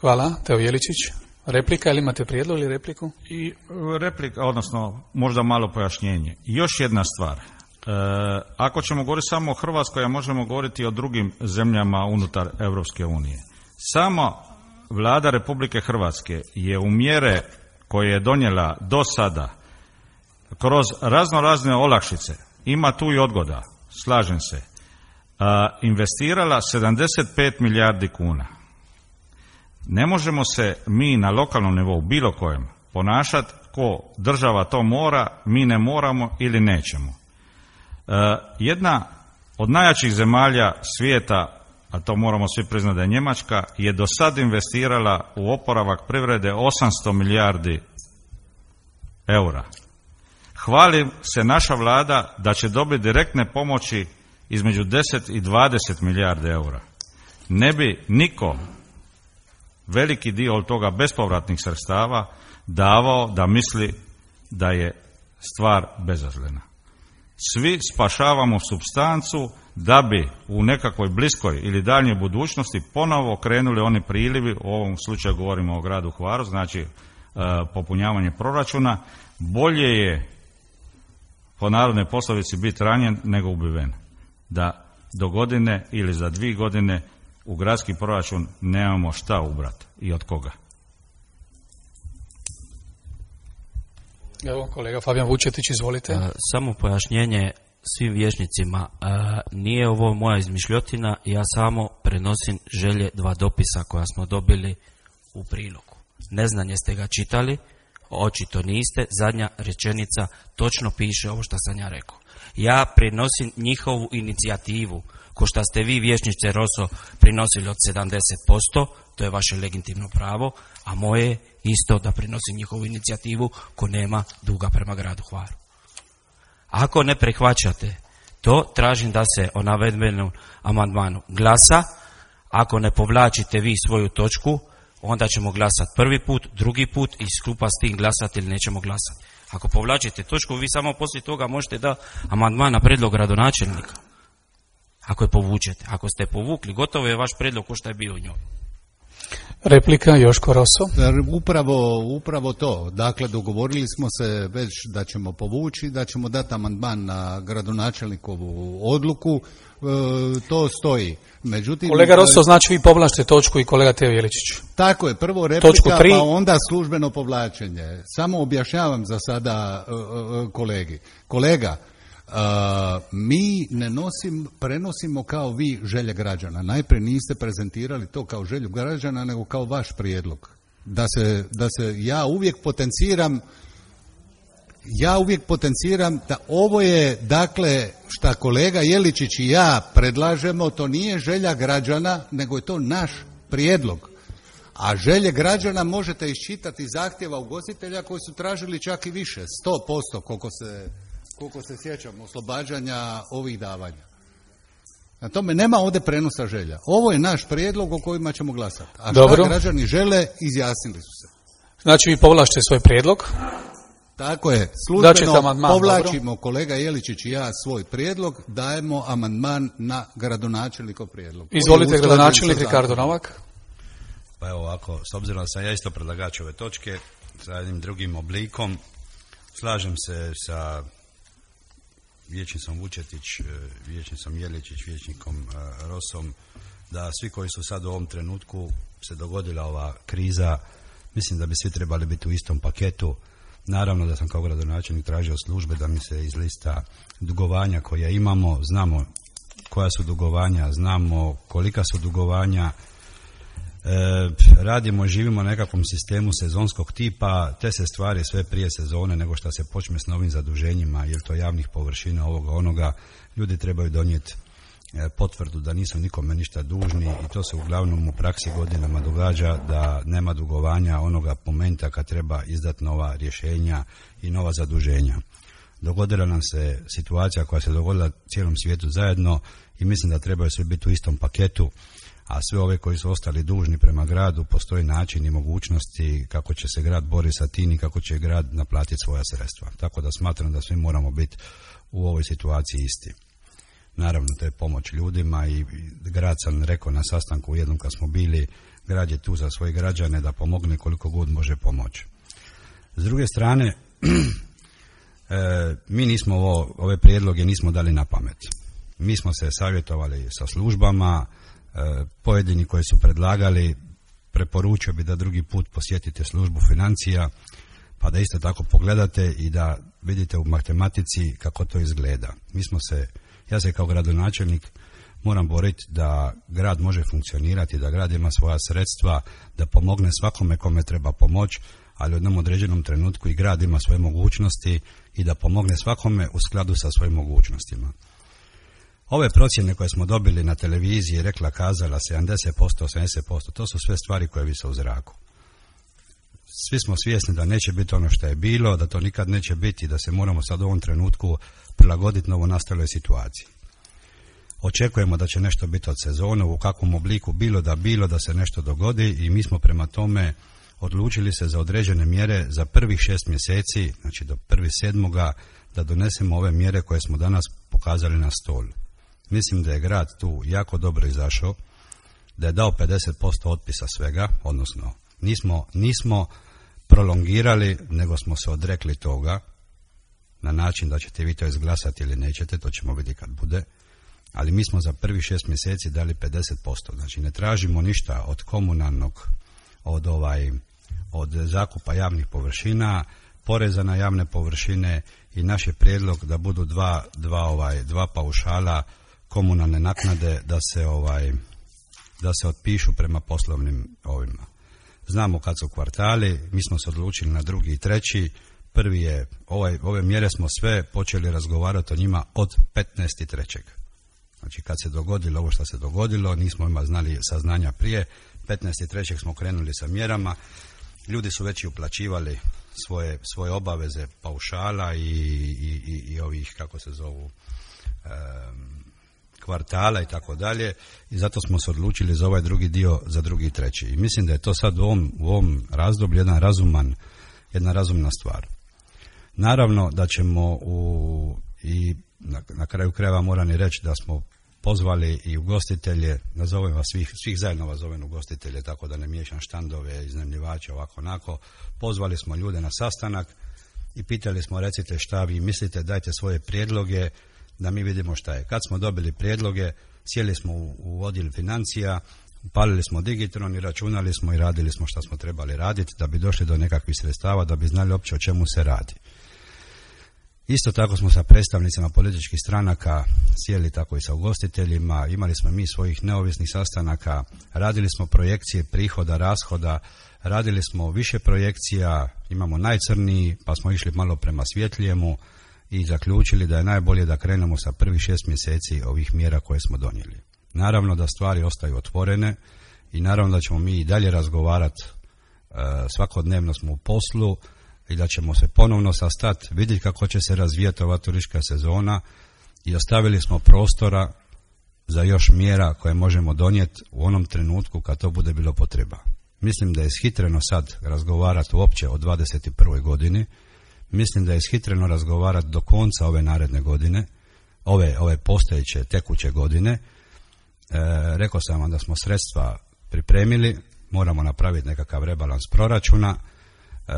Hvala. Teo Jeličić. Replika, ili imate prijedlog ili repliku? I replika, odnosno možda malo pojašnjenje. Još jedna stvar. E, ako ćemo govoriti samo o Hrvatskoj, a možemo govoriti i o drugim zemljama unutar Europske unije. Sama Vlada Republike Hrvatske je u mjere koje je donijela do sada kroz razno razne olakšice, ima tu i odgoda, slažem se, a, investirala sedamdeset pet milijardi kuna. Ne možemo se mi na lokalnom nivou, bilo kojem, ponašati ko država to mora, mi ne moramo ili nećemo. E, jedna od najjačih zemalja svijeta, a to moramo svi priznati da je Njemačka, je do sad investirala u oporavak privrede osamsto milijardi eura. Hvali se naša vlada da će dobiti direktne pomoći između deset i dvadeset milijardi eura. Ne bi niko veliki dio od toga bespovratnih sredstava davao da misli da je stvar bezazlena. Svi spašavamo supstancu da bi u nekakvoj bliskoj ili daljnjoj budućnosti ponovo krenuli oni prilivi, u ovom slučaju govorimo o gradu Hvaru, znači e, popunjavanje proračuna. Bolje je po narodnoj poslovici biti ranjen nego ubiven. Da do godine ili za dvije godine u gradski proračun nemamo šta ubrati i od koga. Evo, kolega Fabijan Vučetić, izvolite. A, samo pojašnjenje svim vijećnicima. A, nije ovo moja izmišljotina, ja samo prenosim želje dva dopisa koja smo dobili u prilogu. Neznanje ste ga čitali, očito niste, zadnja rečenica točno piše ovo što sam ja rekao. Ja prenosim njihovu inicijativu, ko što ste vi, vijećnice Roso, prinosili od sedamdeset posto, to je vaše legitimno pravo, a moje je isto da prinosim njihovu inicijativu ko nema duga prema gradu Hvaru. Ako ne prihvaćate to, tražim da se o navedenom amandmanu glasa. Ako ne povlačite vi svoju točku, onda ćemo glasati prvi put, drugi put i skupa s tim glasati ili nećemo glasati. Ako povlačite točku, vi samo poslije toga možete da amandman na prijedlog gradonačelnika. ako je povučete. Ako ste povukli, gotovo je vaš prijedlog ko što je bio u njoj. Replika Joško Roso. Upravo, upravo to. Dakle, dogovorili smo se već da ćemo povući, da ćemo dati amandman na gradonačelnikovu odluku. E, to stoji. Međutim, kolega Roso, znači vi povlačite točku i kolega Teo Jeličić. Tako je, prvo replika, pa onda službeno povlačenje. Samo objašnjavam za sada e, e, kolegi. Kolega, Uh, mi ne nosim, prenosimo kao vi želje građana. Najprije niste prezentirali to kao želju građana, nego kao vaš prijedlog. Da se, da se ja uvijek potenciram ja uvijek potenciram da ovo je, dakle, šta kolega Jeličić i ja predlažemo, to nije želja građana, nego je to naš prijedlog. A želje građana možete iščitati iz zahtjeva ugostitelja koji su tražili čak i više, sto posto koliko se koliko se sjećam, oslobađanja ovih davanja. Na tome nema ovdje prenosa želja. Ovo je naš prijedlog o kojima ćemo glasati. A Dobro. Šta građani žele, izjasnili su se. Znači vi povlačite svoj prijedlog? Tako je. Službeno povlačimo, dobro. Kolega Jeličić i ja svoj prijedlog, dajemo amandman na gradonačelnikov prijedlog. Izvolite, gradonačelnik Ricardo Novak. Pa evo ovako, s obzirom da sam ja isto predlagač ove točke, sa jednim drugim oblikom, slažem se sa vijećnicom Vučetić, vijećnicom Jeličić, vijećnikom Rosom, da svi koji su sad u ovom trenutku se dogodila ova kriza, mislim da bi svi trebali biti u istom paketu. Naravno da sam kao gradonačelnik tražio službe da mi se iz lista dugovanja koja imamo, znamo koja su dugovanja, znamo kolika su dugovanja, E, radimo, živimo na nekakvom sistemu sezonskog tipa, te se stvari sve prije sezone nego što se počne s novim zaduženjima, jer to javnih površina ovoga onoga, ljudi trebaju donijeti e, potvrdu da nisu nikome ništa dužni i to se uglavnom u praksi godinama događa da nema dugovanja onoga momenta kad treba izdati nova rješenja i nova zaduženja. Dogodila nam se situacija koja se dogodila cijelom svijetu zajedno i mislim da trebaju svi biti u istom paketu. A sve ove koji su ostali dužni prema gradu, postoji način i mogućnosti kako će se grad boriti sa tim i kako će grad naplatiti svoja sredstva. Tako da smatram da svi moramo biti u ovoj situaciji isti. Naravno, to je pomoć ljudima i grad, sam rekao na sastanku u jednom kad smo bili, grad je tu za svoje građane da pomogne koliko god može pomoći. S druge strane, e, mi nismo ovo, ove prijedloge nismo dali na pamet. Mi smo se savjetovali sa službama, pojedini koji su predlagali, preporučio bi da drugi put posjetite službu financija pa da isto tako pogledate i da vidite u matematici kako to izgleda. Mi smo se, ja se kao gradonačelnik moram boriti da grad može funkcionirati, da grad ima svoja sredstva, da pomogne svakome kome treba pomoć, ali u jednom određenom trenutku i grad ima svoje mogućnosti i da pomogne svakome u skladu sa svojim mogućnostima. Ove procjene koje smo dobili na televiziji, rekla, kazala, sedamdeset posto, osamdeset posto, to su sve stvari koje vise u zraku. Svi smo svjesni da neće biti ono što je bilo, da to nikad neće biti, da se moramo sad u ovom trenutku prilagoditi novonastaloj situaciji. Očekujemo da će nešto biti od sezone, u kakvom obliku bilo da bilo da se nešto dogodi i mi smo prema tome odlučili se za određene mjere za prvih šest mjeseci, znači do prvog sedmoga, da donesemo ove mjere koje smo danas pokazali na stol. Mislim da je grad tu jako dobro izašao, da je dao pedeset posto otpisa svega, odnosno nismo, nismo prolongirali, nego smo se odrekli toga na način da ćete vi to izglasati ili nećete, to ćemo vidjeti kad bude, ali mi smo za prvih šest mjeseci dali pedeset posto, znači ne tražimo ništa od komunalnog, od, ovaj, od zakupa javnih površina, poreza na javne površine i naš je prijedlog da budu dva, dva, ovaj, dva paušala komunalne naknade da se, ovaj, da se otpišu prema poslovnim ovima. Znamo kad su kvartali, mi smo se odlučili na drugi i treći. Prvi je, ovaj, ove mjere smo sve počeli razgovarati o njima od petnaestog trećeg Znači kad se dogodilo ovo što se dogodilo, nismo ima znali saznanja prije, petnaestog trećeg smo krenuli sa mjerama, ljudi su već i uplaćivali svoje, svoje obaveze paušala i, i, i, i ovih, kako se zovu, um, kvartala i tako dalje, i zato smo se odlučili za ovaj drugi dio, za drugi i treći. I mislim da je to sad u ovom, u ovom razdoblju jedan razuman, jedna razumna stvar. Naravno da ćemo u, i na, na kraju krajeva moram i reći da smo pozvali i ugostitelje, nazovem vas svih, svih zajedno vas zovem ugostitelje, tako da ne miješam štandove, iznajmljivače, ovako onako. Pozvali smo ljude na sastanak i pitali smo, recite šta vi mislite, dajte svoje prijedloge da mi vidimo šta je. Kad smo dobili prijedloge, sjeli smo u, u odjel financija, upalili smo digitron i računali smo i radili smo šta smo trebali raditi da bi došli do nekakvih sredstava, da bi znali uopće o čemu se radi. Isto tako smo sa predstavnicima političkih stranaka sjeli tako i sa ugostiteljima, imali smo mi svojih neovisnih sastanaka, radili smo projekcije prihoda, rashoda, radili smo više projekcija, imamo najcrniji, pa smo išli malo prema svjetlijemu i zaključili da je najbolje da krenemo sa prvih šest mjeseci ovih mjera koje smo donijeli. Naravno da stvari ostaju otvorene i naravno da ćemo mi i dalje razgovarati, svakodnevno smo u poslu i da ćemo se ponovno sastati, vidjeti kako će se razvijati ova turistička sezona i ostavili smo prostora za još mjera koje možemo donijeti u onom trenutku kad to bude bilo potreba. Mislim da je ishitreno sad razgovarati uopće o dvadeset prvoj godini, mislim da je ishitreno razgovarati do konca ove naredne godine, ove, ove postojeće tekuće godine. E, rekao sam vam da smo sredstva pripremili, moramo napraviti nekakav rebalans proračuna. E,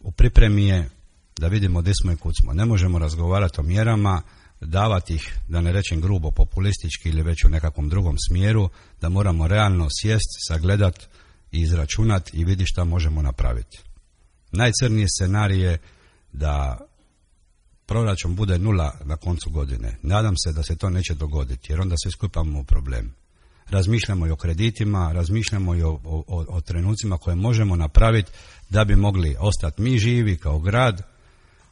u pripremi je da vidimo gdje smo i kud smo. Ne možemo razgovarati o mjerama, davati ih, da ne rečem grubo, populistički ili već u nekakvom drugom smjeru, da moramo realno sjest, sagledat i izračunati i vidjeti šta možemo napraviti. Najcrniji scenarij je da proračun bude nula na koncu godine. Nadam se da se to neće dogoditi, jer onda se skupamo u problem. Razmišljamo i o kreditima, razmišljamo i o, o, o trenucima koje možemo napraviti da bi mogli ostati mi živi kao grad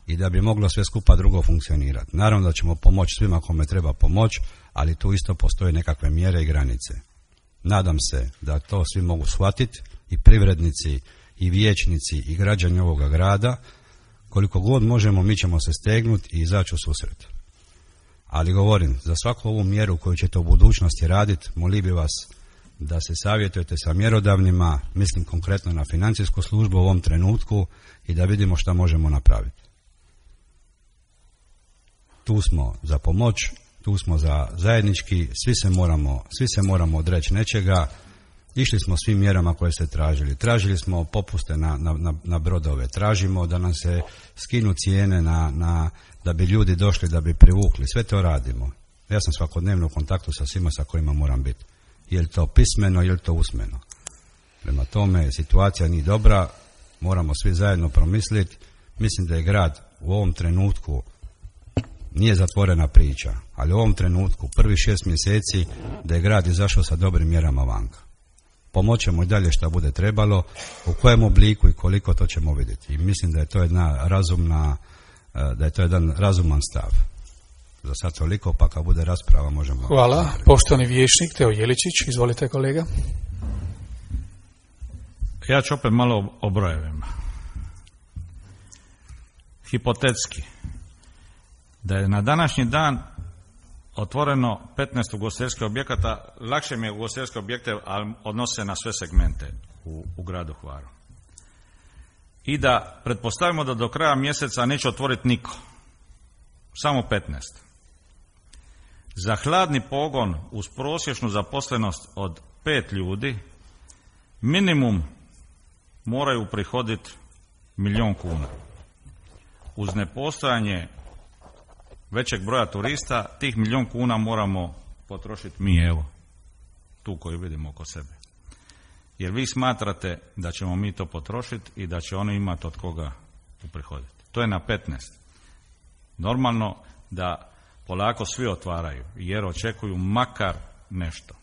i da bi moglo sve skupa drugo funkcionirati. Naravno da ćemo pomoći svima kome treba pomoć, ali tu isto postoje nekakve mjere i granice. Nadam se da to svi mogu shvatiti, i privrednici, i vijećnici, i građani ovoga grada. Koliko god možemo, mi ćemo se stegnuti i izaći u susret. Ali govorim, za svaku ovu mjeru koju ćete u budućnosti raditi, molio bi vas da se savjetujete sa mjerodavnima, mislim konkretno na financijsku službu u ovom trenutku, i da vidimo šta možemo napraviti. Tu smo za pomoć, tu smo za zajednički, svi se moramo, svi se moramo odreći nečega. Išli smo svim mjerama koje ste tražili. Tražili smo popuste na, na, na brodove, tražimo da nam se skinu cijene na, na, da bi ljudi došli, da bi privukli. Sve to radimo. Ja sam svakodnevno u kontaktu sa svima sa kojima moram biti. Je li to pismeno, je li to usmeno. Prema tome, situacija nije dobra, moramo svi zajedno promisliti. Mislim da je grad u ovom trenutku, nije zatvorena priča, ali u ovom trenutku, prvi šest mjeseci, da je grad izašao sa dobrim mjerama vanka. Pomoćemo i dalje šta bude trebalo, u kojem obliku i koliko, to ćemo vidjeti. I mislim da je to jedna razumna, da je to jedan razuman stav. Za sad toliko, pa kad bude rasprava možemo... Hvala. Poštovani vijećnik Teo Jeličić, izvolite kolega. Ja ću opet malo o brojevima. Hipotetski, da je na današnji dan otvoreno petnaest ugostiteljskih objekata, lakše mi je ugostiteljske objekte, ali odnose na sve segmente u, u gradu Hvaru. I da pretpostavimo da do kraja mjeseca neće otvoriti niko, samo petnaest. Za hladni pogon uz prosječnu zaposlenost od pet ljudi minimum moraju prihoditi milijun kuna. Uz nepostojanje većeg broja turista, tih milijun kuna moramo potrošiti mi, evo, tu koju vidimo oko sebe. Jer vi smatrate da ćemo mi to potrošiti i da će oni imati od koga uprihoditi. To je na petnaest. Normalno da polako svi otvaraju, jer očekuju makar nešto.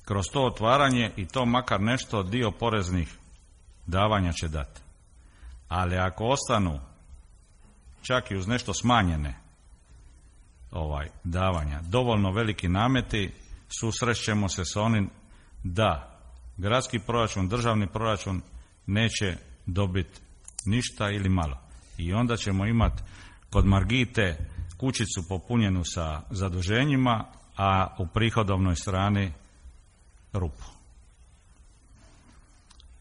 Kroz to otvaranje i to makar nešto dio poreznih davanja će dati. Ali ako ostanu čak i uz nešto smanjene ovaj davanja, dovoljno veliki nameti, susrećemo se s onim da gradski proračun, državni proračun neće dobiti ništa ili malo. I onda ćemo imati kod Margite kućicu popunjenu sa zaduženjima, a u prihodovnoj strani rupu.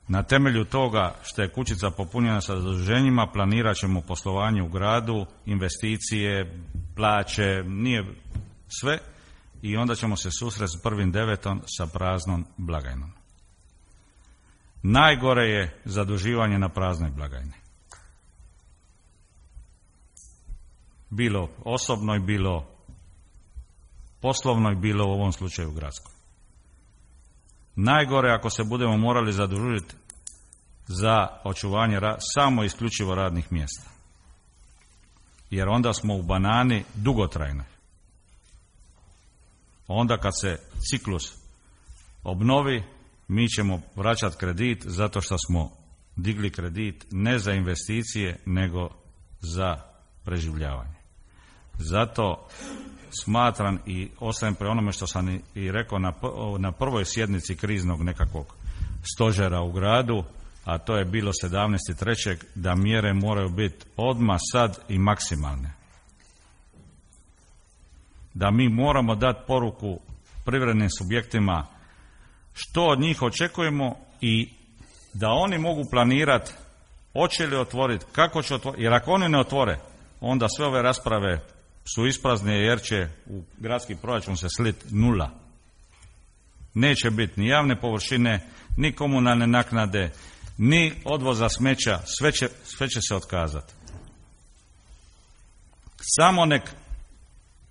Na temelju toga što je kućica popunjena sa zaduženjima, planirat ćemo poslovanje u gradu, investicije, plaće, nije sve i onda ćemo se susresti s prvim devetom sa praznom blagajnom. Najgore je zaduživanje na praznoj blagajni. Bilo osobnoj, bilo poslovnoj, bilo u ovom slučaju gradskoj. Najgore ako se budemo morali zadužiti za očuvanje ra- samo isključivo radnih mjesta. Jer onda smo u banani dugotrajnoj. Onda kad se ciklus obnovi, mi ćemo vraćati kredit zato što smo digli kredit ne za investicije, nego za preživljavanje. Zato smatram i ostajem pre onome što sam i rekao na, na prvoj sjednici kriznog nekakvog stožera u gradu, a to je bilo sedamnaestog trećeg da mjere moraju biti odmah, sad i maksimalne. Da mi moramo dati poruku privrednim subjektima što od njih očekujemo i da oni mogu planirati hoće li otvoriti, kako će otvoriti, jer ako oni ne otvore, onda sve ove rasprave su isprazne jer će u gradski proračun se sliti nula. Neće biti ni javne površine, ni komunalne naknade, ni odvoza smeća, sve će, sve će se otkazati. Samo nek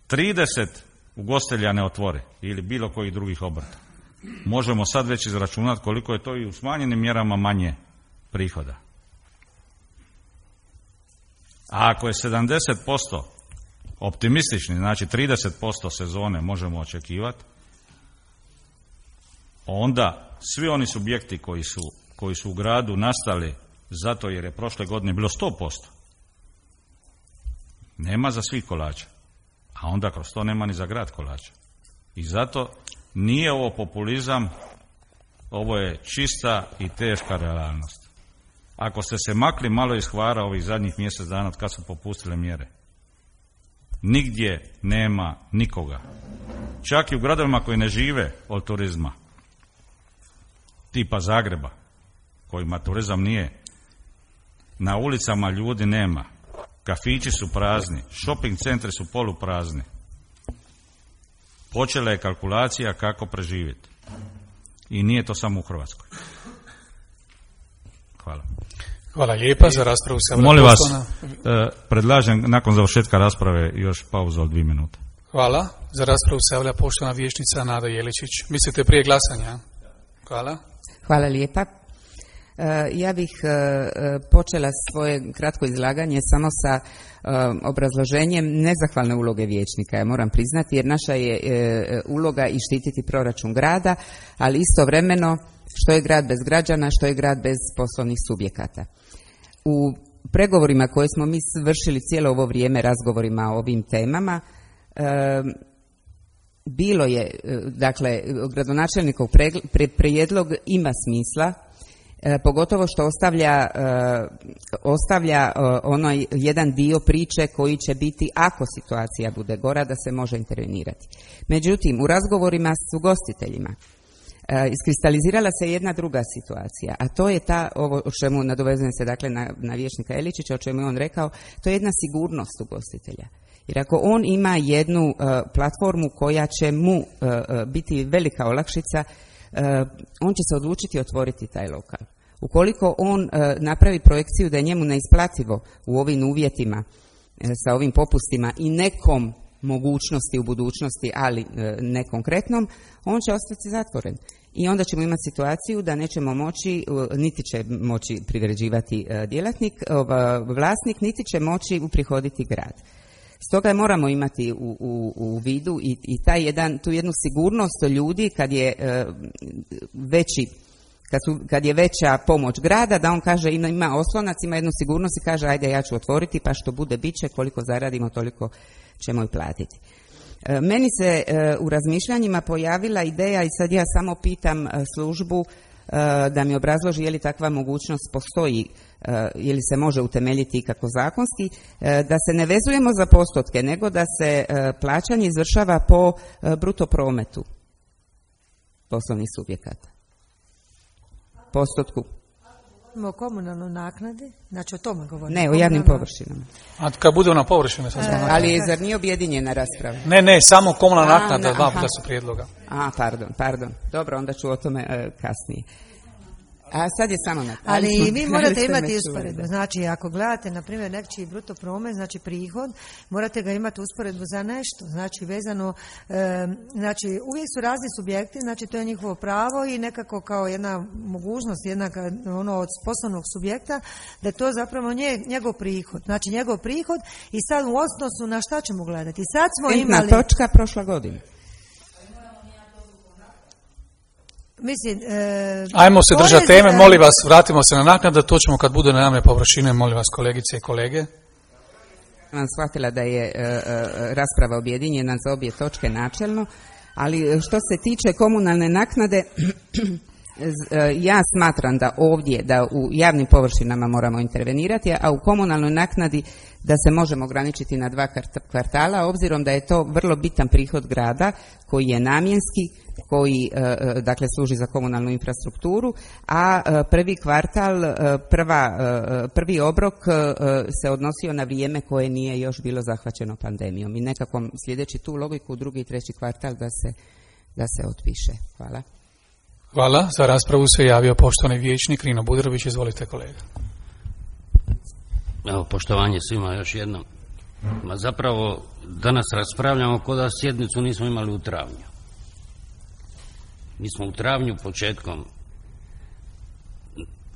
trideset ugostitelja ne otvori ili bilo kojih drugih obrta. Možemo sad već izračunati koliko je to i u smanjenim mjerama manje prihoda. A ako je sedamdeset posto optimistični, znači trideset posto sezone možemo očekivati, onda svi oni subjekti koji su, koji su u gradu nastali zato jer je prošle godine bilo sto posto, nema za svih kolača, a onda kroz to nema ni za grad kolača. I zato nije ovo populizam, ovo je čista i teška realnost. Ako ste se makli malo iz Hvara ovih zadnjih mjesec dana od kad su popustile mjere, nigdje nema nikoga. Čak i u gradovima koji ne žive od turizma, tipa Zagreba, kojima turizam nije, na ulicama ljudi nema, kafići su prazni, shopping centri su poluprazni. Počela je kalkulacija kako preživjeti. I nije to samo u Hrvatskoj. Hvala. Hvala lijepa za raspravu. Molim vas, eh, predlažem nakon završetka rasprave još pauzu od dvije minute. Hvala. Za raspravu se javlja poštovana vijećnica Nada Jeličić. Mislite prije glasanja? Hvala. Hvala lijepa. Ja bih počela svoje kratko izlaganje samo sa obrazloženjem nezahvalne uloge vijećnika, ja moram priznati, jer naša je uloga i štititi proračun grada, ali istovremeno što je grad bez građana, što je grad bez poslovnih subjekata. U pregovorima koje smo mi vršili cijelo ovo vrijeme, razgovorima o ovim temama, bilo je, dakle, gradonačelnikov prijedlog ima smisla, E, pogotovo što ostavlja, e, ostavlja e, onaj jedan dio priče koji će biti ako situacija bude gora da se može intervenirati. Međutim, u razgovorima s ugostiteljima e, iskristalizirala se jedna druga situacija, a to je ta, ovo o čemu nadovezujem se dakle na, na vijećnika Eličića, o čemu je on rekao, to je jedna sigurnost ugostitelja. Jer ako on ima jednu e, platformu koja će mu e, biti velika olakšica, Uh, on će se odlučiti otvoriti taj lokal. Ukoliko on uh, napravi projekciju da je njemu neisplativo u ovim uvjetima uh, sa ovim popustima i nekom mogućnosti u budućnosti, ali uh, ne konkretnom, on će ostati zatvoren. I onda ćemo imati situaciju da nećemo moći, uh, niti će moći privređivati uh, djelatnik, uh, vlasnik, niti će moći uprihoditi grad. Stoga moramo imati u, u, u vidu i, i taj jedan, tu jednu sigurnost ljudi kad je e, veći, kad, su, kad je veća pomoć grada, da on kaže ima, ima oslonac, ima jednu sigurnost i kaže ajde ja ću otvoriti pa što bude bit će, koliko zaradimo toliko ćemo i platiti. E, meni se e, u razmišljanjima pojavila ideja i sad ja samo pitam e, službu e, da mi obrazloži je li takva mogućnost postoji, je li se može utemeljiti i kako zakonski, da se ne vezujemo za postotke, nego da se plaćanje izvršava po bruto prometu poslovnih subjekata. Postotku. O komunalnoj naknadi, znači o tome govorimo. Ne, o javnim površinama. A kad bude ona površina? Sam e, ali je zar nije objedinjena rasprava? Ne, ne, samo komunalna naknada, na, dva puta su prijedloga. A, pardon, pardon. Dobro, onda ću o tome e, kasnije. A sad je samo na... Ali vi morate imati usporedbu. Znači, ako gledate, na primjer, nečiji bruto promet, znači prihod, morate ga imati usporedbu za nešto. Znači, vezano, e, znači, uvijek su razni subjekti, znači, to je njihovo pravo i nekako kao jedna mogućnost, jedna ono od poslovnog subjekta, da je to zapravo nje, njegov prihod. Znači, njegov prihod i sad u odnosu na šta ćemo gledati. Sad smo Intna imali... točka prošla godina. Mislim, e, ajmo se držati porez, teme, molim vas, vratimo se na naknadu, to ćemo kad bude na javne površine, molim vas kolegice i kolege. Sam shvatila da je e, e, rasprava objedinjena za obje točke načelno, ali što se tiče komunalne naknade, ja smatram da ovdje, da u javnim površinama moramo intervenirati, a u komunalnoj naknadi da se možemo ograničiti na dva kvartala, obzirom da je to vrlo bitan prihod grada koji je namjenski, koji dakle služi za komunalnu infrastrukturu, a prvi kvartal, prva, prvi obrok se odnosio na vrijeme koje nije još bilo zahvaćeno pandemijom i nekako sljedeći tu logiku drugi i treći kvartal da se, da se otpiše. Hvala. Hvala. Za raspravu se javio poštovani vijećnik Rino Budrović. Izvolite kolega. Evo, poštovanje svima još jednom. Ma zapravo danas raspravljamo kao da sjednicu nismo imali u travnju. Mi smo u travnju početkom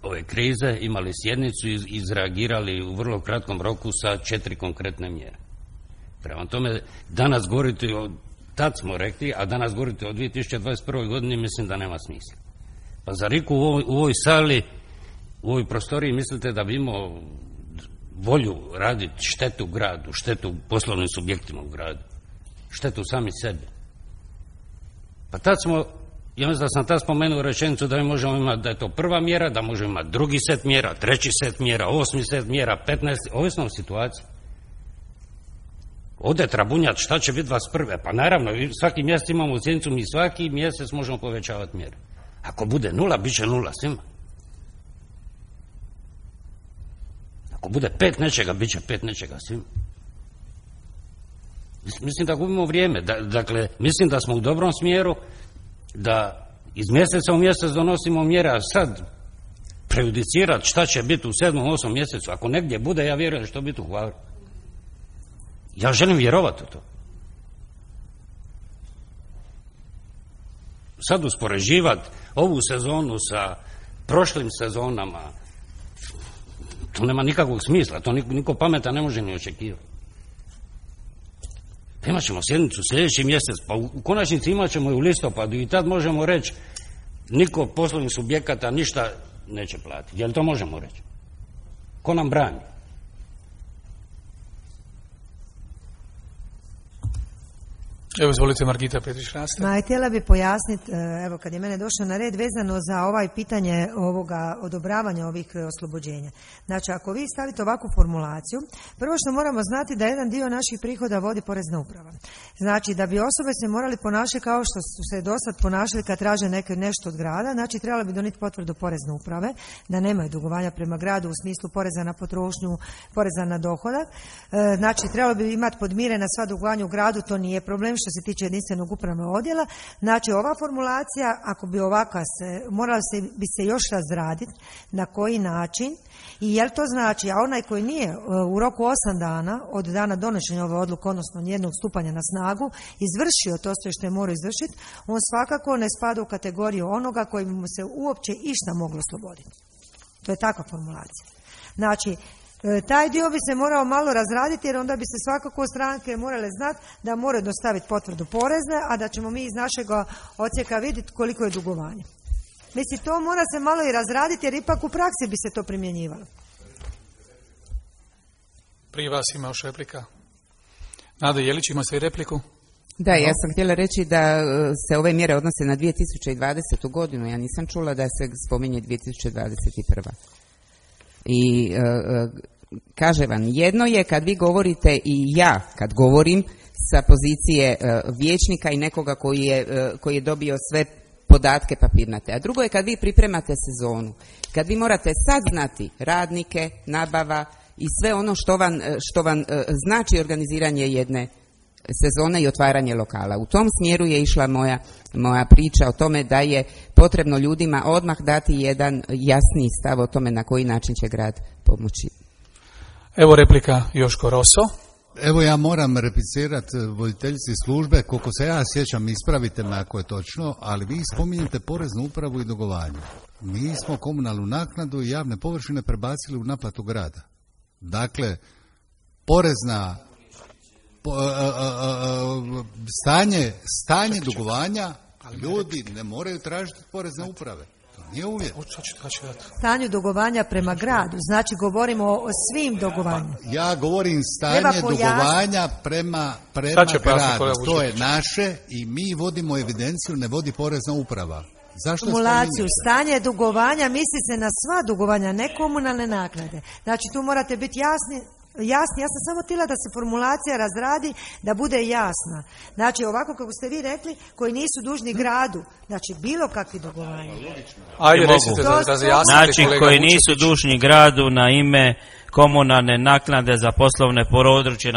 ove krize imali sjednicu i izreagirali u vrlo kratkom roku sa četiri konkretne mjere. Prema tome, danas govoriti o, tad smo rekli, a danas govoriti o dvije tisuće dvadeset prvoj godini mislim da nema smisla. Pa za Riku u ovoj, u ovoj sali, u ovoj prostoriji mislite da bi imao volju raditi štetu gradu, štetu poslovnim subjektima u gradu, štetu sami sebi. Pa tad smo, ja mislim da sam tad spomenuo rečenicu da mi možemo imati, da je to prva mjera, da možemo imati drugi set mjera, treći set mjera, osmi set mjera, petnaest, ovisno o situaciji. Ode trabunjat šta će biti dvadeset prve. Pa naravno, svaki mjesec imamo sjednicu, mi svaki mjesec možemo povećavati mjere. Ako bude nula, bit će nula svima. Ako bude pet nečega, bit će pet nečega svima. Mislim da gubimo vrijeme. Da, dakle, mislim da smo u dobrom smjeru, da iz mjeseca u mjesec donosimo mjere, a sad prejudicirati šta će biti u sedmom, osmom mjesecu. Ako negdje bude, ja vjerujem da će to biti u Hvaru. Ja želim vjerovati u to. Sad uspoređivati ovu sezonu sa prošlim sezonama, to nema nikakvog smisla, to niko, niko pametan ne može ni očekivati. Imat ćemo sjednicu sljedeći mjesec, pa u, u konačnici imat ćemo i u listopadu i tad možemo reći niko poslovnih subjekata ništa neće platiti. Jel to možemo reći? Ko nam brani? Evo, izvolite, Margita Petrić-Raste. Ma, htjela bi pojasniti, evo, kad je mene došlo na red, vezano za ovaj pitanje ovoga odobravanja ovih oslobođenja. Znači, ako vi stavite ovakvu formulaciju, prvo što moramo znati da jedan dio naših prihoda vodi Porezna uprava. Znači, da bi osobe se morali ponašati kao što su se do sad ponašali kad traže neke nešto od grada, znači trebali bi donijeti potvrdu Porezne uprave, da nemaju dugovanja prema gradu u smislu poreza na potrošnju, poreza na dohodak. Znači, trebalo bi imati podmirena sva dugovanja u gradu, to nije problem što se tiče jedinstvenog upravnog odjela. Znači, ova formulacija, ako bi ovakva se, morala se, bi se još razraditi na koji način i jel to znači, a onaj koji nije u roku osam dana od dana donošenja ove odluke, odnosno njenog stupanja na snagu, izvršio to sve što je morao izvršiti, on svakako ne spada u kategoriju onoga koji bi mu se uopće išta moglo osloboditi. To je takva formulacija. Znači, taj dio bi se morao malo razraditi jer onda bi se svakako stranke morale znati da moraju dostaviti potvrdu porezne, a da ćemo mi iz našeg odsjeka vidjeti koliko je dugovanje. Mislim, to mora se malo i razraditi jer ipak u praksi bi se to primjenjivalo. Prije vas ima još replika. Nada Jelić, ima se i repliku? Da, ja sam htjela reći da se ove mjere odnose na dvije tisuće dvadesetu godinu. Ja nisam čula da se spominje dvije tisuće dvadeset prva. I e, kaže vam, jedno je kad vi govorite i ja kad govorim sa pozicije e, vijećnika i nekoga koji je, e, koji je dobio sve podatke papirnate. A drugo je kad vi pripremate sezonu, kad vi morate sad znati radnike, nabava i sve ono što vam, što vam uh, znači organiziranje jedne sezone i otvaranje lokala. U tom smjeru je išla moja, moja priča o tome da je potrebno ljudima odmah dati jedan jasniji stav o tome na koji način će grad pomoći. Evo replika Joško Roso. Evo ja moram replicirati voditeljici službe, koliko se ja sjećam, ispravite me ako je točno, ali vi spominjete poreznu upravu i dugovanje. Mi smo komunalnu naknadu i javne površine prebacili u naplatu grada. Dakle, porezna po, a, a, a, stanje, stanje dugovanja ljudi ne moraju tražiti porezne uprave. Nije uvjet. Stanju dugovanja prema gradu, znači govorimo o svim dugovanjima. Pa, ja govorim stanje dugovanja prema, prema gradu. To je naše i mi vodimo evidenciju, ne vodi porezna uprava. Zašto Kumulaciju, stanje dugovanja misli se na sva dugovanja, ne komunalne naknade. Znači tu morate biti jasni. Jasni, ja sam samo htjela da se formulacija razradi, da bude jasna. Znači, ovako kako ste vi rekli, koji nisu dužni gradu, znači bilo kakvi dugovanja. Ajde, recite da razjasnite. Znači, koji nisu dužni gradu na ime komunalne naknade za poslovne područje,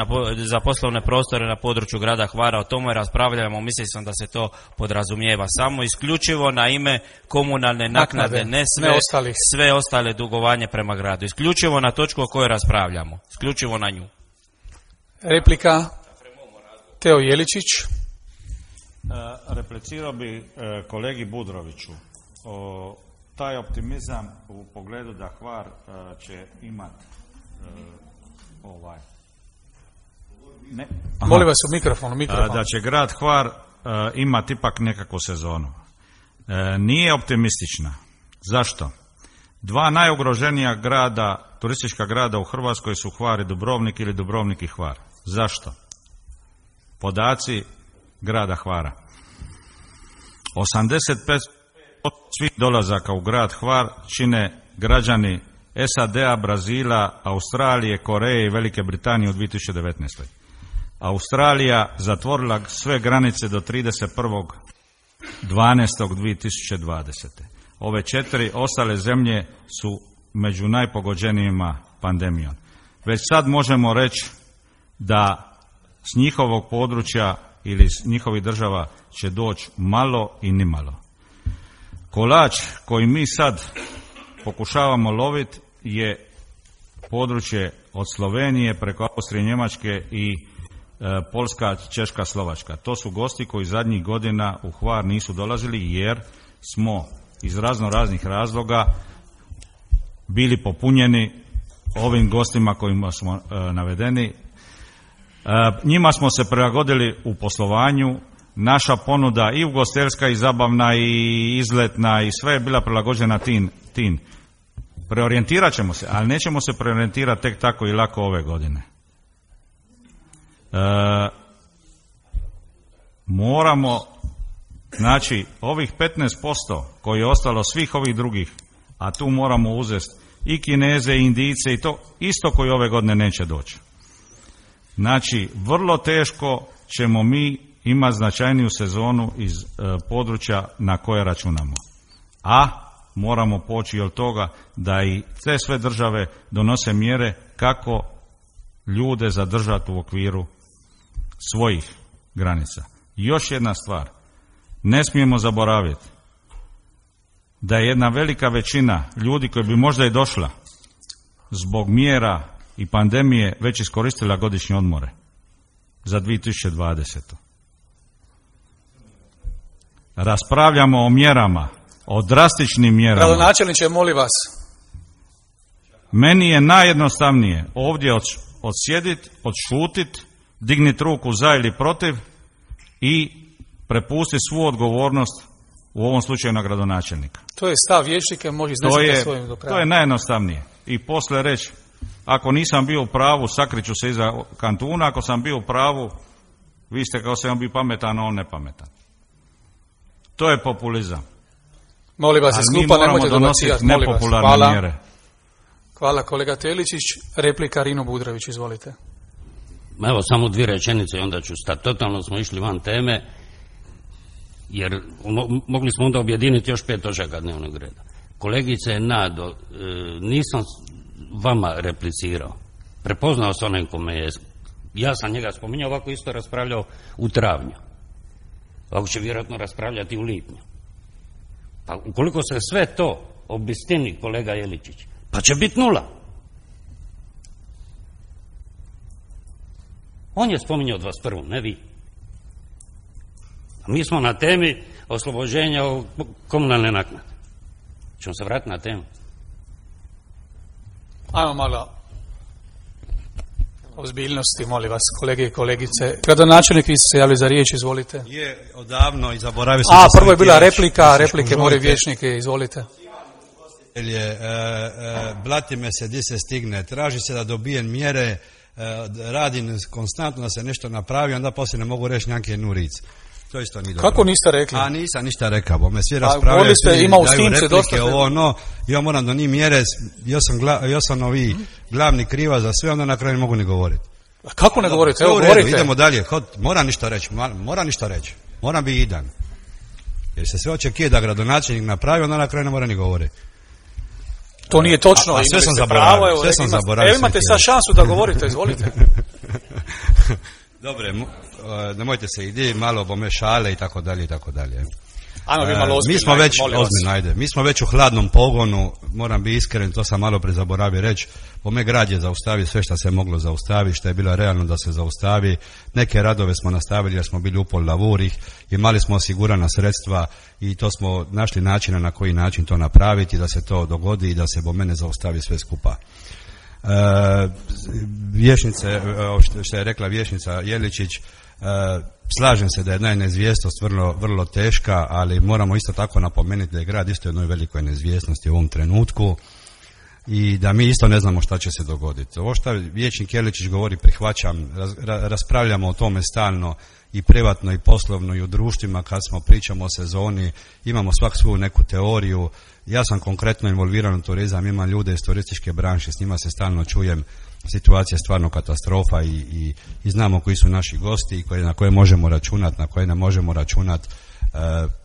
za poslovne prostore na području grada Hvara. O tome raspravljamo, mislim sam da se to podrazumijeva. Samo isključivo na ime komunalne naknade, ne sve, ne sve ostale dugovanje prema gradu. Isključivo na točku o kojoj raspravljamo. Isključivo na nju. Replika Teo Jeličić. E, replicirao bi e, kolegi Budroviću. O, taj optimizam u pogledu da Hvar e, će imati e, ovaj ne, molim vas u mikrofonu, mikrofon. da će grad Hvar e, imati ipak nekakvu sezonu. E, nije optimistična. Zašto? Dva najugroženija grada, turistička grada u Hrvatskoj su Hvar i Dubrovnik ili Dubrovnik i Hvar. Zašto? Podaci grada Hvara. osamdeset pet posto svih dolazaka u grad Hvar čine građani S A D-a, Brazila, Australije, Koreje i Velike Britanije u dvije tisuće devetnaestoj. Australija zatvorila sve granice do trideset prvog dvanaestog dvije tisuće dvadesete. Ove četiri ostale zemlje su među najpogođenijima pandemijom. Već sad možemo reći da s njihovog područja ili s njihovih država će doći malo i nimalo. Kolač koji mi sad pokušavamo loviti je područje od Slovenije preko Austrije, Njemačke i e, Poljska, Češka, Slovačka. To su gosti koji zadnjih godina u Hvar nisu dolazili jer smo iz razno raznih razloga bili popunjeni ovim gostima kojima smo e, navedeni. E, njima smo se prilagodili u poslovanju. Naša ponuda i ugostiteljska i zabavna i izletna i sve je bila prilagođena tim. tim. Preorijentirat ćemo se, ali nećemo se preorijentirati tek tako i lako ove godine. E, moramo, znači, ovih petnaest posto koji je ostalo svih ovih drugih, a tu moramo uzeti i Kineze i Indijce i to isto koji ove godine neće doći. Znači, vrlo teško ćemo mi imati značajniju sezonu iz e, područja na koje računamo. A moramo poći od toga da i te sve države donose mjere kako ljude zadržati u okviru svojih granica. I još jedna stvar, ne smijemo zaboraviti da je jedna velika većina ljudi koji bi možda i došla zbog mjera i pandemije već iskoristila godišnje odmore za dvije tisuće dvadesetu. Raspravljamo o mjerama, o drastičnim mjerama. Gradonačelniče, molim vas. Meni je najjednostavnije ovdje odsjediti, odšutit, digniti ruku za ili protiv i prepustiti svu odgovornost u ovom slučaju na gradonačelnika. To je stav vijećnika, može iznesiti svojim do kraja. To je najjednostavnije. I poslije reći, ako nisam bio u pravu, sakriću se iza kantuna, ako sam bio u pravu, vi ste kao se on bi pametan, a on nepametan. To je populizam. Molim vas, skupa nemojte donositi nepopularne Hvala. mjere. Hvala kolega Teličić. Replika Rino Budrović, izvolite. Evo samo dvije rečenice i onda ću stati. Totalno smo išli van teme. jer mogli smo onda objediniti još pet točaka dnevnog reda. Kolegice Nado, nisam vama replicirao. Prepoznao sam onaj kome je, ja sam njega spominjao, ovako isto raspravljao u travnju. Ovako će vjerojatno raspravljati u lipnju. Pa ukoliko se sve to obistini, kolega Jeličić, pa će biti nula. On je spominjao dvadeset prvu, ne vi. A mi smo na temi oslobođenja komunalne naknade. Ćemo se vratiti na temu. Ajmo malo ozbiljnosti, molim vas, kolege i kolegice. Gradonačelnik, vi ste se javili za riječ, izvolite. Je odavno i zaboravio sam. A, prvo je bila replika, replike moraju vijećnike, izvolite. Je, e, e, blati me se di se stigne, traži se da dobijem mjere, e, radim konstantno da se nešto napravi, onda poslije ne mogu reći njanke jednu ric. To isto nije dobro. Kako niste rekli? A nisam ništa rekao, bo me svi raspravljaju, svi ima daju replike, ovo, no, ja moram do njih mjere, ja sam, gla, ja sam ovi glavni kriva za sve, onda na kraju ne mogu ni govoriti. A kako ne govorite? Evo, Evo, govorite. Idemo dalje, Hod, moram ništa reći, moram ništa reći, moram biti idan. Jer se sve očekuje da gradonačelnik napravi, onda na kraju ne mora ni govoriti. To nije točno. A, a sve sam zaboravio, sve sam zaboravio. Evo imate sad šansu da govorite, izvolite. Dobre, nemojte se ide malo bome šale i tako dalje i tako dalje. Ajmo bi malo ozbiljno. Mi smo već ozbiljno, ajde. Mi smo već u hladnom pogonu, moram biti iskren, to sam malo prezaboravio reći. Bome grad je zaustavio sve što se moglo zaustaviti, što je bilo realno da se zaustavi. Neke radove smo nastavili jer smo bili upol lavurih, imali smo osigurana sredstva i to smo našli načina na koji način to napraviti, da se to dogodi i da se bome ne zaustavi sve skupa. Uh, vješnice, što je rekla vješnica Jeličić, uh, slažem se da je neizvjesnost vrlo, vrlo teška, ali moramo isto tako napomenuti da je grad isto jednoj velikoj neizvjesnosti u ovom trenutku i da mi isto ne znamo šta će se dogoditi. Ovo što vječnik Jeličić govori prihvaćam, raz, raspravljamo o tome stalno i privatno i poslovno i u društvima kad smo pričamo o sezoni, imamo svak svoju neku teoriju. Ja sam konkretno involviran u turizam, imam ljude iz turističke branše, s njima se stalno čujem, situacija je stvarno katastrofa i, i, i znamo koji su naši gosti i koje, na koje možemo računati, na koje ne možemo računati. E,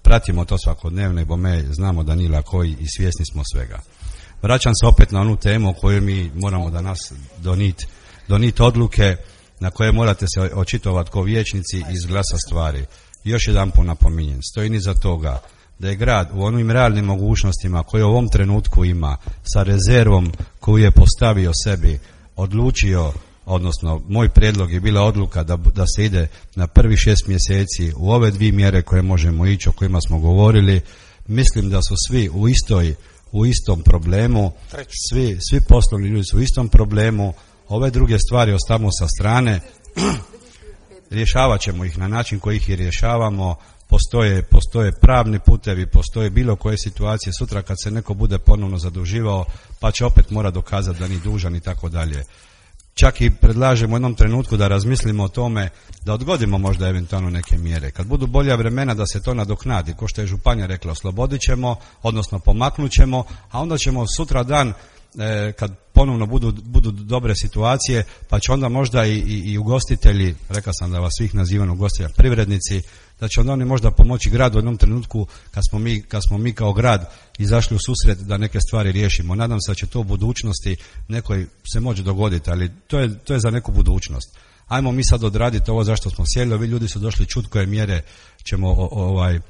pratimo to svakodnevno i bome znamo da nije lako i svjesni smo svega. Vraćam se opet na onu temu o kojoj mi moramo danas doniti donit odluke na koje morate se očitovati kao vijećnici i izglasa stvari. Još jedan put napominjem, stojim iza toga da je grad u onim realnim mogućnostima koje u ovom trenutku ima, sa rezervom koju je postavio sebi, odlučio, odnosno moj prijedlog je bila odluka da, da se ide na prvi šest mjeseci u ove dvije mjere koje možemo ići, o kojima smo govorili. Mislim da su svi u istoj u istom problemu, svi, svi poslovni ljudi su u istom problemu, ove druge stvari ostavimo sa strane, rješavat ćemo ih na način koji ih i rješavamo, postoje, postoje pravni putevi, postoje bilo koje situacije, sutra kad se neko bude ponovno zaduživao, pa će opet mora dokazati da nije dužan i tako dalje. Čak i predlažemo u jednom trenutku da razmislimo o tome da odgodimo možda eventualno neke mjere. Kad budu bolja vremena da se to nadoknadi, ko što je županija rekla, oslobodit ćemo, odnosno pomaknut ćemo, a onda ćemo sutra dan e, kad ponovno budu, budu dobre situacije, pa će onda možda i, i, i ugostitelji, rekao sam da vas svih nazivam ugostitelja, privrednici, da će onda oni možda pomoći gradu u jednom trenutku kad smo mi, kad smo mi kao grad izašli u susret da neke stvari riješimo. Nadam se da će to u budućnosti nekoj se moći dogoditi, ali to je, to je za neku budućnost. Ajmo mi sad odraditi ovo zašto smo sjeli, ovi ljudi su došli čut koje mjere ćemo o, ovaj,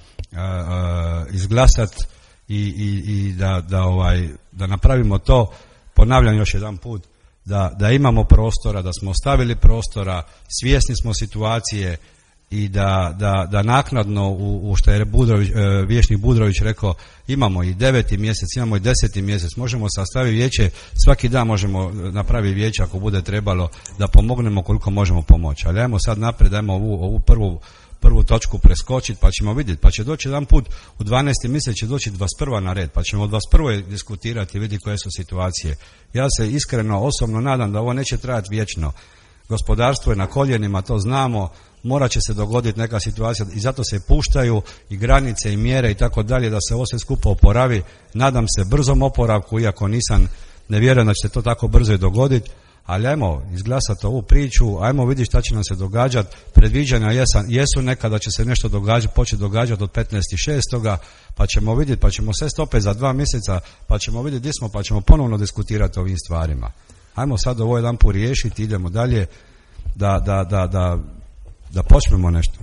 izglasati i, i, i da, da, ovaj, da napravimo to. Ponavljam još jedan put, da, da imamo prostora, da smo ostavili prostora, svjesni smo situacije i da, da, da naknadno u, u što je Budrović, e, vijećnik Budrović rekao, imamo i deveti mjesec, imamo i deseti mjesec, možemo sastaviti vijeće, svaki dan možemo napraviti vijeće ako bude trebalo da pomognemo koliko možemo pomoći. Ali ajmo sad naprijed, ajmo ovu, ovu prvu, prvu točku preskočiti pa ćemo vidjeti, pa će doći jedan put u dvanaesti mjesec će doći dvadeset prva na red, pa ćemo od dvadeset prve diskutirati i vidjeti koje su situacije. Ja se iskreno osobno nadam da ovo neće trajati vječno. Gospodarstvo je na koljenima, to znamo, morat će se dogoditi neka situacija i zato se puštaju i granice i mjere i tako dalje da se ovo sve skupo oporavi. Nadam se brzom oporavku, iako nisam, ne vjerujem da će se to tako brzo i dogoditi, ali ajmo izglasati ovu priču, ajmo vidjeti šta će nam se događati. Predviđanja jesan, jesu nekada će se nešto događati, početi događati od petnaestog šestoga pa ćemo vidjeti, pa ćemo sve stope za dva mjeseca, pa ćemo vidjeti gdje smo, pa ćemo ponovno diskutirati o ovim stvarima. Ajmo sad ovo jedan put riješiti, idemo dalje, da, da, da, da, da počnemo nešto.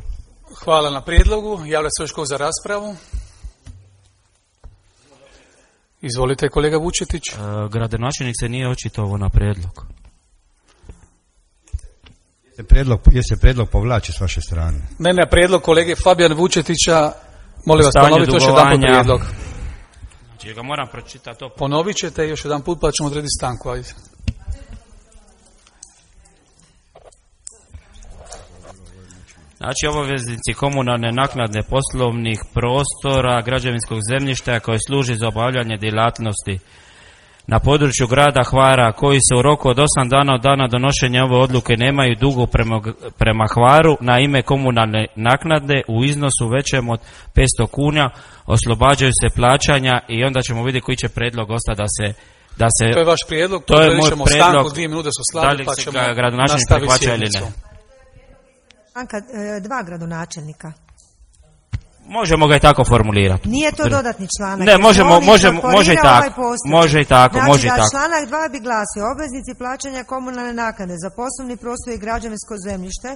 Hvala na prijedlogu. Javlja se još ko za raspravu? Izvolite, kolega Vučetić. E, gradonačelnik se nije očitovao na prijedlog. Je prijedlog, je se prijedlog povlači s vaše strane? Ne, ne, prijedlog kolege Fabijan Vučetića. Molim vas, ponovite još jedan put prijedlog. Znači, ga moram pročitati to. Ponovit ćete još jedan put, pa ćemo odrediti stanku. Ajde. Znači, obaveznici komunalne naknade poslovnih prostora, građevinskog zemljišta koji služi za obavljanje djelatnosti na području grada Hvara, koji se u roku od osam dana od dana donošenja ove odluke nemaju dugu prema, prema Hvaru na ime komunalne naknade u iznosu većem od petsto kuna, oslobađaju se plaćanja i onda ćemo vidjeti koji će prijedlog ostati da se da se... To je vaš prijedlog, to je moj prijedlog, stanku, dvije minute su slabi, pa ćemo nastaviti sjednicu. Stanka e, dva gradonačelnika. Možemo ga i tako formulirati. Nije to dodatni članak. Ne, možemo, možemo, može i tako. Može i tako, znači, može i tako. Članak dva bi glasio: obveznici plaćanja komunalne naknade za poslovni prostor i građevinsko zemljište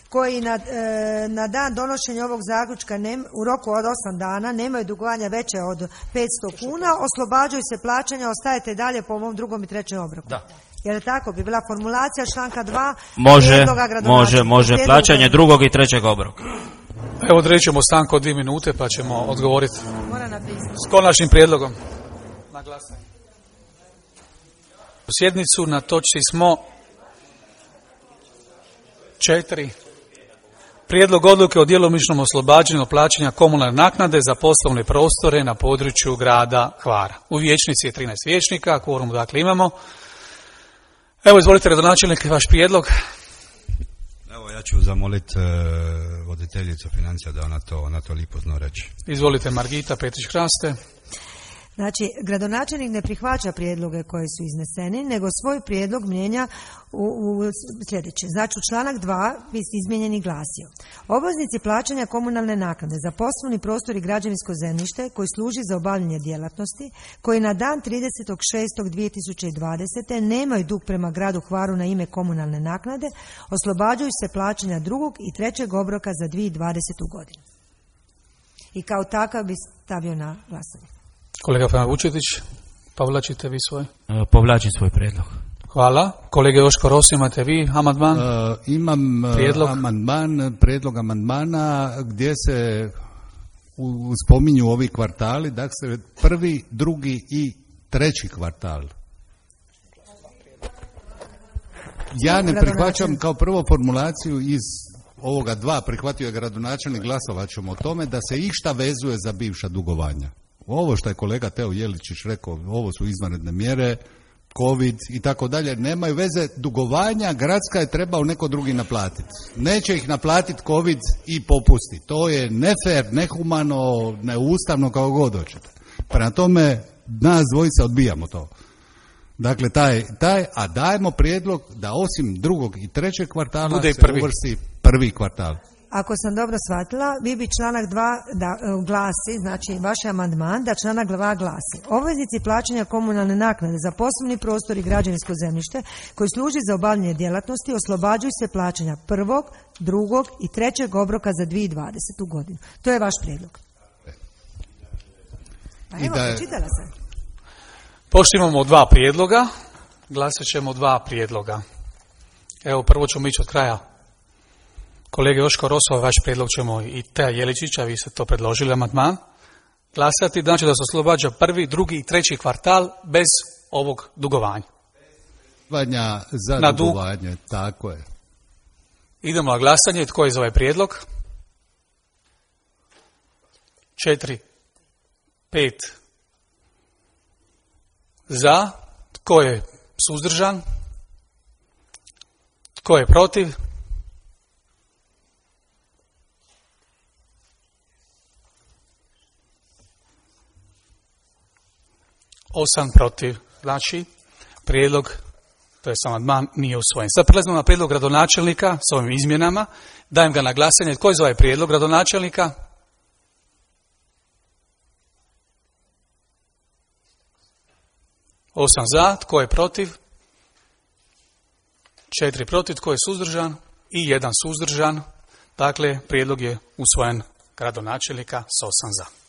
koji na, e, na dan donošenja ovog zaključka ne, u roku od osam dana nemaju dugovanja veće od petsto kuna, oslobađaju se plaćanja, ostajete dalje po ovom drugom i trećem obroku. Da. Jer tako bi bila formulacija članka dva. Može, može, može, plaćanje drugog i trećeg obroka. Evo, odreći ćemo stanku od dvije minute pa ćemo odgovoriti s konačnim prijedlogom na glasanje. U sjednicu na točci smo četiri. Prijedlog odluke o djelomičnom oslobađanju plaćanja komunalne naknade za poslovne prostore na području grada Hvara. U vijećnici je trinaest vijećnika, kvorum dakle imamo. Evo, izvolite, gradonačelnik, vaš prijedlog. Evo, ja ću zamoliti uh, voditeljicu financija da ona to, ona to lipo zna reći. Izvolite, Margita Petrić-Hraste. Znači, gradonačelnik ne prihvaća prijedloge koji su izneseni, nego svoj prijedlog mijenja u, u sljedeće. Znači, u članak dva bi izmijenjeni glasio: obveznici plaćanja komunalne naknade za poslovni prostor i građevinsko zemljište koji služi za obavljanje djelatnosti, koji na dan tridesetog šestog dvije tisuće dvadesete nemaju dug prema gradu Hvaru na ime komunalne naknade, oslobađaju se plaćanja drugog i trećeg obroka za dvije tisuće dvadesetu godinu. I kao takav bi stavio na glasanje. Kolega Fana Vučetić, povlačite vi svoj? E, povlačim svoj prijedlog. Hvala. Kolega Joško Ros, imate vi amandman? E, imam prijedlog. amandman, prijedlog amandmana gdje se u, spominju ovi kvartali, dakle prvi, drugi i treći kvartal. Ja ne prihvaćam kao prvo formulaciju iz ovoga dva, prihvatio je gradonačelnik, glasovat ćemo o tome da se išta vezuje za bivša dugovanja. Ovo što je kolega Teo Jeličić rekao, ovo su izvanredne mjere, covid i tako dalje, nemaju veze. Dugovanja gradska je trebao neko drugi naplatiti. Neće ih naplatiti covid i popusti. To je nefer, nehumano, neustavno, kao god hoćete. Prema tome, nas dvojica odbijamo to. Dakle, taj, taj, a dajemo prijedlog da osim drugog i trećeg kvartala bude se prvi. uvrsti prvi kvartal. Ako sam dobro shvatila, vi bi članak dva da uh, glasi, znači vaš amandman, da članak dva glasi: obveznici plaćanja komunalne naknade za poslovni prostor i građevinsko zemljište koji služi za obavljanje djelatnosti oslobađaju se plaćanja prvog, drugog i trećeg obroka za dvije tisuće dvadesetu godinu. To je vaš prijedlog. Pa evo, da je... počitala sam. Pošto imamo dva prijedloga, glasat ćemo dva prijedloga. Evo, prvo ćemo ići od kraja. Kolege Joško Rosova, vaš prijedlog ćemo i Teja Jeličića, vi ste to predložili, amandman, glasati, znači da se oslobađa prvi, drugi i treći kvartal bez ovog dugovanja. Dugovanja za na dugovanje, dug. Tako je. Idemo na glasanje, tko je za ovaj prijedlog? Četiri, pet za, tko je suzdržan, tko je protiv? Osam protiv. Znači, prijedlog To je amandman nije usvojen. Sad prelazimo na prijedlog gradonačelnika s ovim izmjenama. Dajem ga na glasanje. Tko je za ovaj prijedlog gradonačelnika? Osam za. Tko je protiv? Četiri protiv. Tko je suzdržan? I jedan suzdržan. Dakle, prijedlog je usvojen gradonačelnika s osam za.